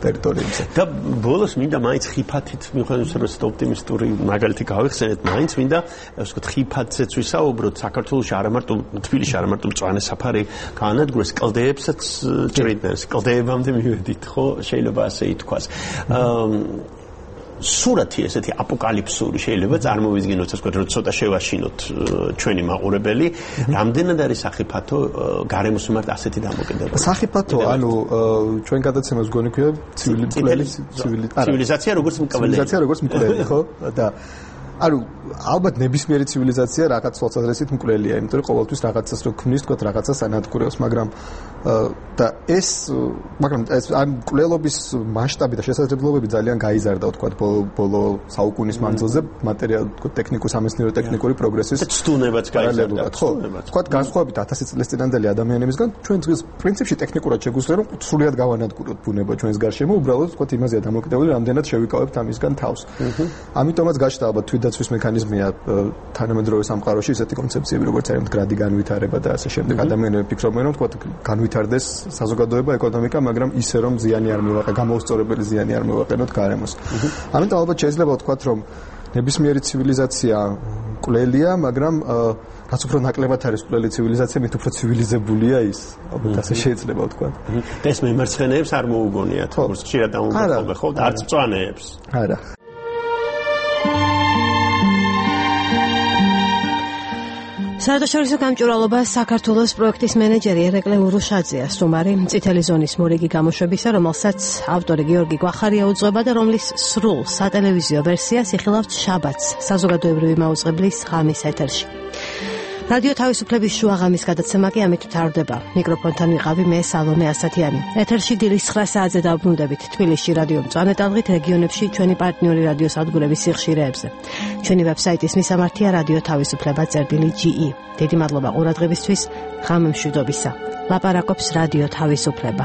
ტერიტორიებზე. და ბოლოს მინდა მაინც ხიფათით მიუხედავად რომ ოპტიმისტური მაგალითი გავიხსენეთ, მაინც მინდა ასე ვთქვათ ხიფათზეც ვისაუბროთ საქართველოში არა მარტო თბილისში არა მარტო მწვანე საფარი გაანადგურეს, კლდეებსაც ჭრიდნენ, კლდეებამდე მივედით, ხო, შეიძლება ასე ითქვას. სურათი ესეთი აპოკალიფსური შეიძლება წარმოვიდგინოთ, ასე ვთქვათ, რომ ცოტა შევაშინოთ ჩვენი მაყურებელი, რამდენად არის სახიფათო გარემოს მიმართ ასეთი დამოკიდება. სახიფათო, ანუ ჩვენ გადაცემას გონი ქვია ცივილიზაცია როგორც მკვლელი, ხო? და ანუ ალბათ ნებისმიერი ცივილიზაცია რაღაც თვალსაზრისით მკვლელია, იმიტომ რომ ყოველთვის რაღაცას რო ქმნის, თქვათ, რაღაცას ანადგურებს, მაგრამ ამ მკვლელობის მასშტაბი და შესაძლებლობები ძალიან გაიზარდა, თქვათ, ბოლო საუკუნის მანძილზე ტექნიკურ სამეცნიერო ტექნიკური პროგრესის ცდუნებაც გაიზარდა. ხო, თქვათ, განსხვავებით 1000 წლის წინანდელი ადამიანებისგან, ჩვენ დღეს პრინციპში ტექნიკურად შეგვიძლია რომ სრულად გავანადგუროთ ბუნება ჩვენს გარშემო, უბრალოდ თქვათ, იმაზეა დამოკიდებული, რამდენად შევიკავებთ ამისგან თავს. ამიტომაც გაჩნდა ალბათ თვითდაცვის მექანიზმია თანამედროვე სამყაროში ესეთი კონცეფციები, როგორც არის მდგრადი განვითარება და ასე შემდეგ. ადამიანები ფიქრობენ, რომ თქვათ, განვითარდეს საზოგადოება, ეკონომიკა, მაგრამ ისე რომ ზიანი არ მივაყენოთ, გამოუსწორებელი ზიანი არ მივაყენოთ გარემოს. ამიტომ ალბათ შეიძლება ვთქვათ, რომ ნებისმიერი ცივილიზაცია მკვლელია, მაგრამ რაც უფრო ნაკლებად არის მკვლელი ცივილიზაცია, მით უფრო ცივილიზებულია ის. ალბათ ასე შეიძლება ვთქვა. და ეს მემარცხენეებს არ მოუგონიათ, როგორც ხშირად ამბობენ, ხო, და არც მწვანეებს. არა. საერთაშორისო გამჭვირვალობა საქართველოს პროექტის მენეჯერი ერეკლე ურუშაძეა სტუმარი წითელი ზონის მორიგი გამოშვებისა, რომელსაც ავტორი გიორგი გვახარია უძღვება და რომლის სრულ სატელევიზიო ვერსიას იხილავთ შაბათს საზოგადოებრივი მაუწყებლის ღამის ეთერში. რადიო თავისუფლების შუაღამის გადაცემა კი ამით თარდება. მიკროფონთან ვიყავი მე სალომე ასათიანი. ეთერში დილის 9 საათზე დავბრუნდებით თბილისში რადიო მწვანე ტალღით, რეგიონებში ჩვენი პარტნიორი რადიო სადგურების სიხშირეებზე. ჩვენი ვებსაიტის მისამართია რადიო თავისუფლება.ge. დიდი მადლობა ყურადღებისთვის, ღამემშვიდობისა. ლაპარაკობს რადიო თავისუფლება.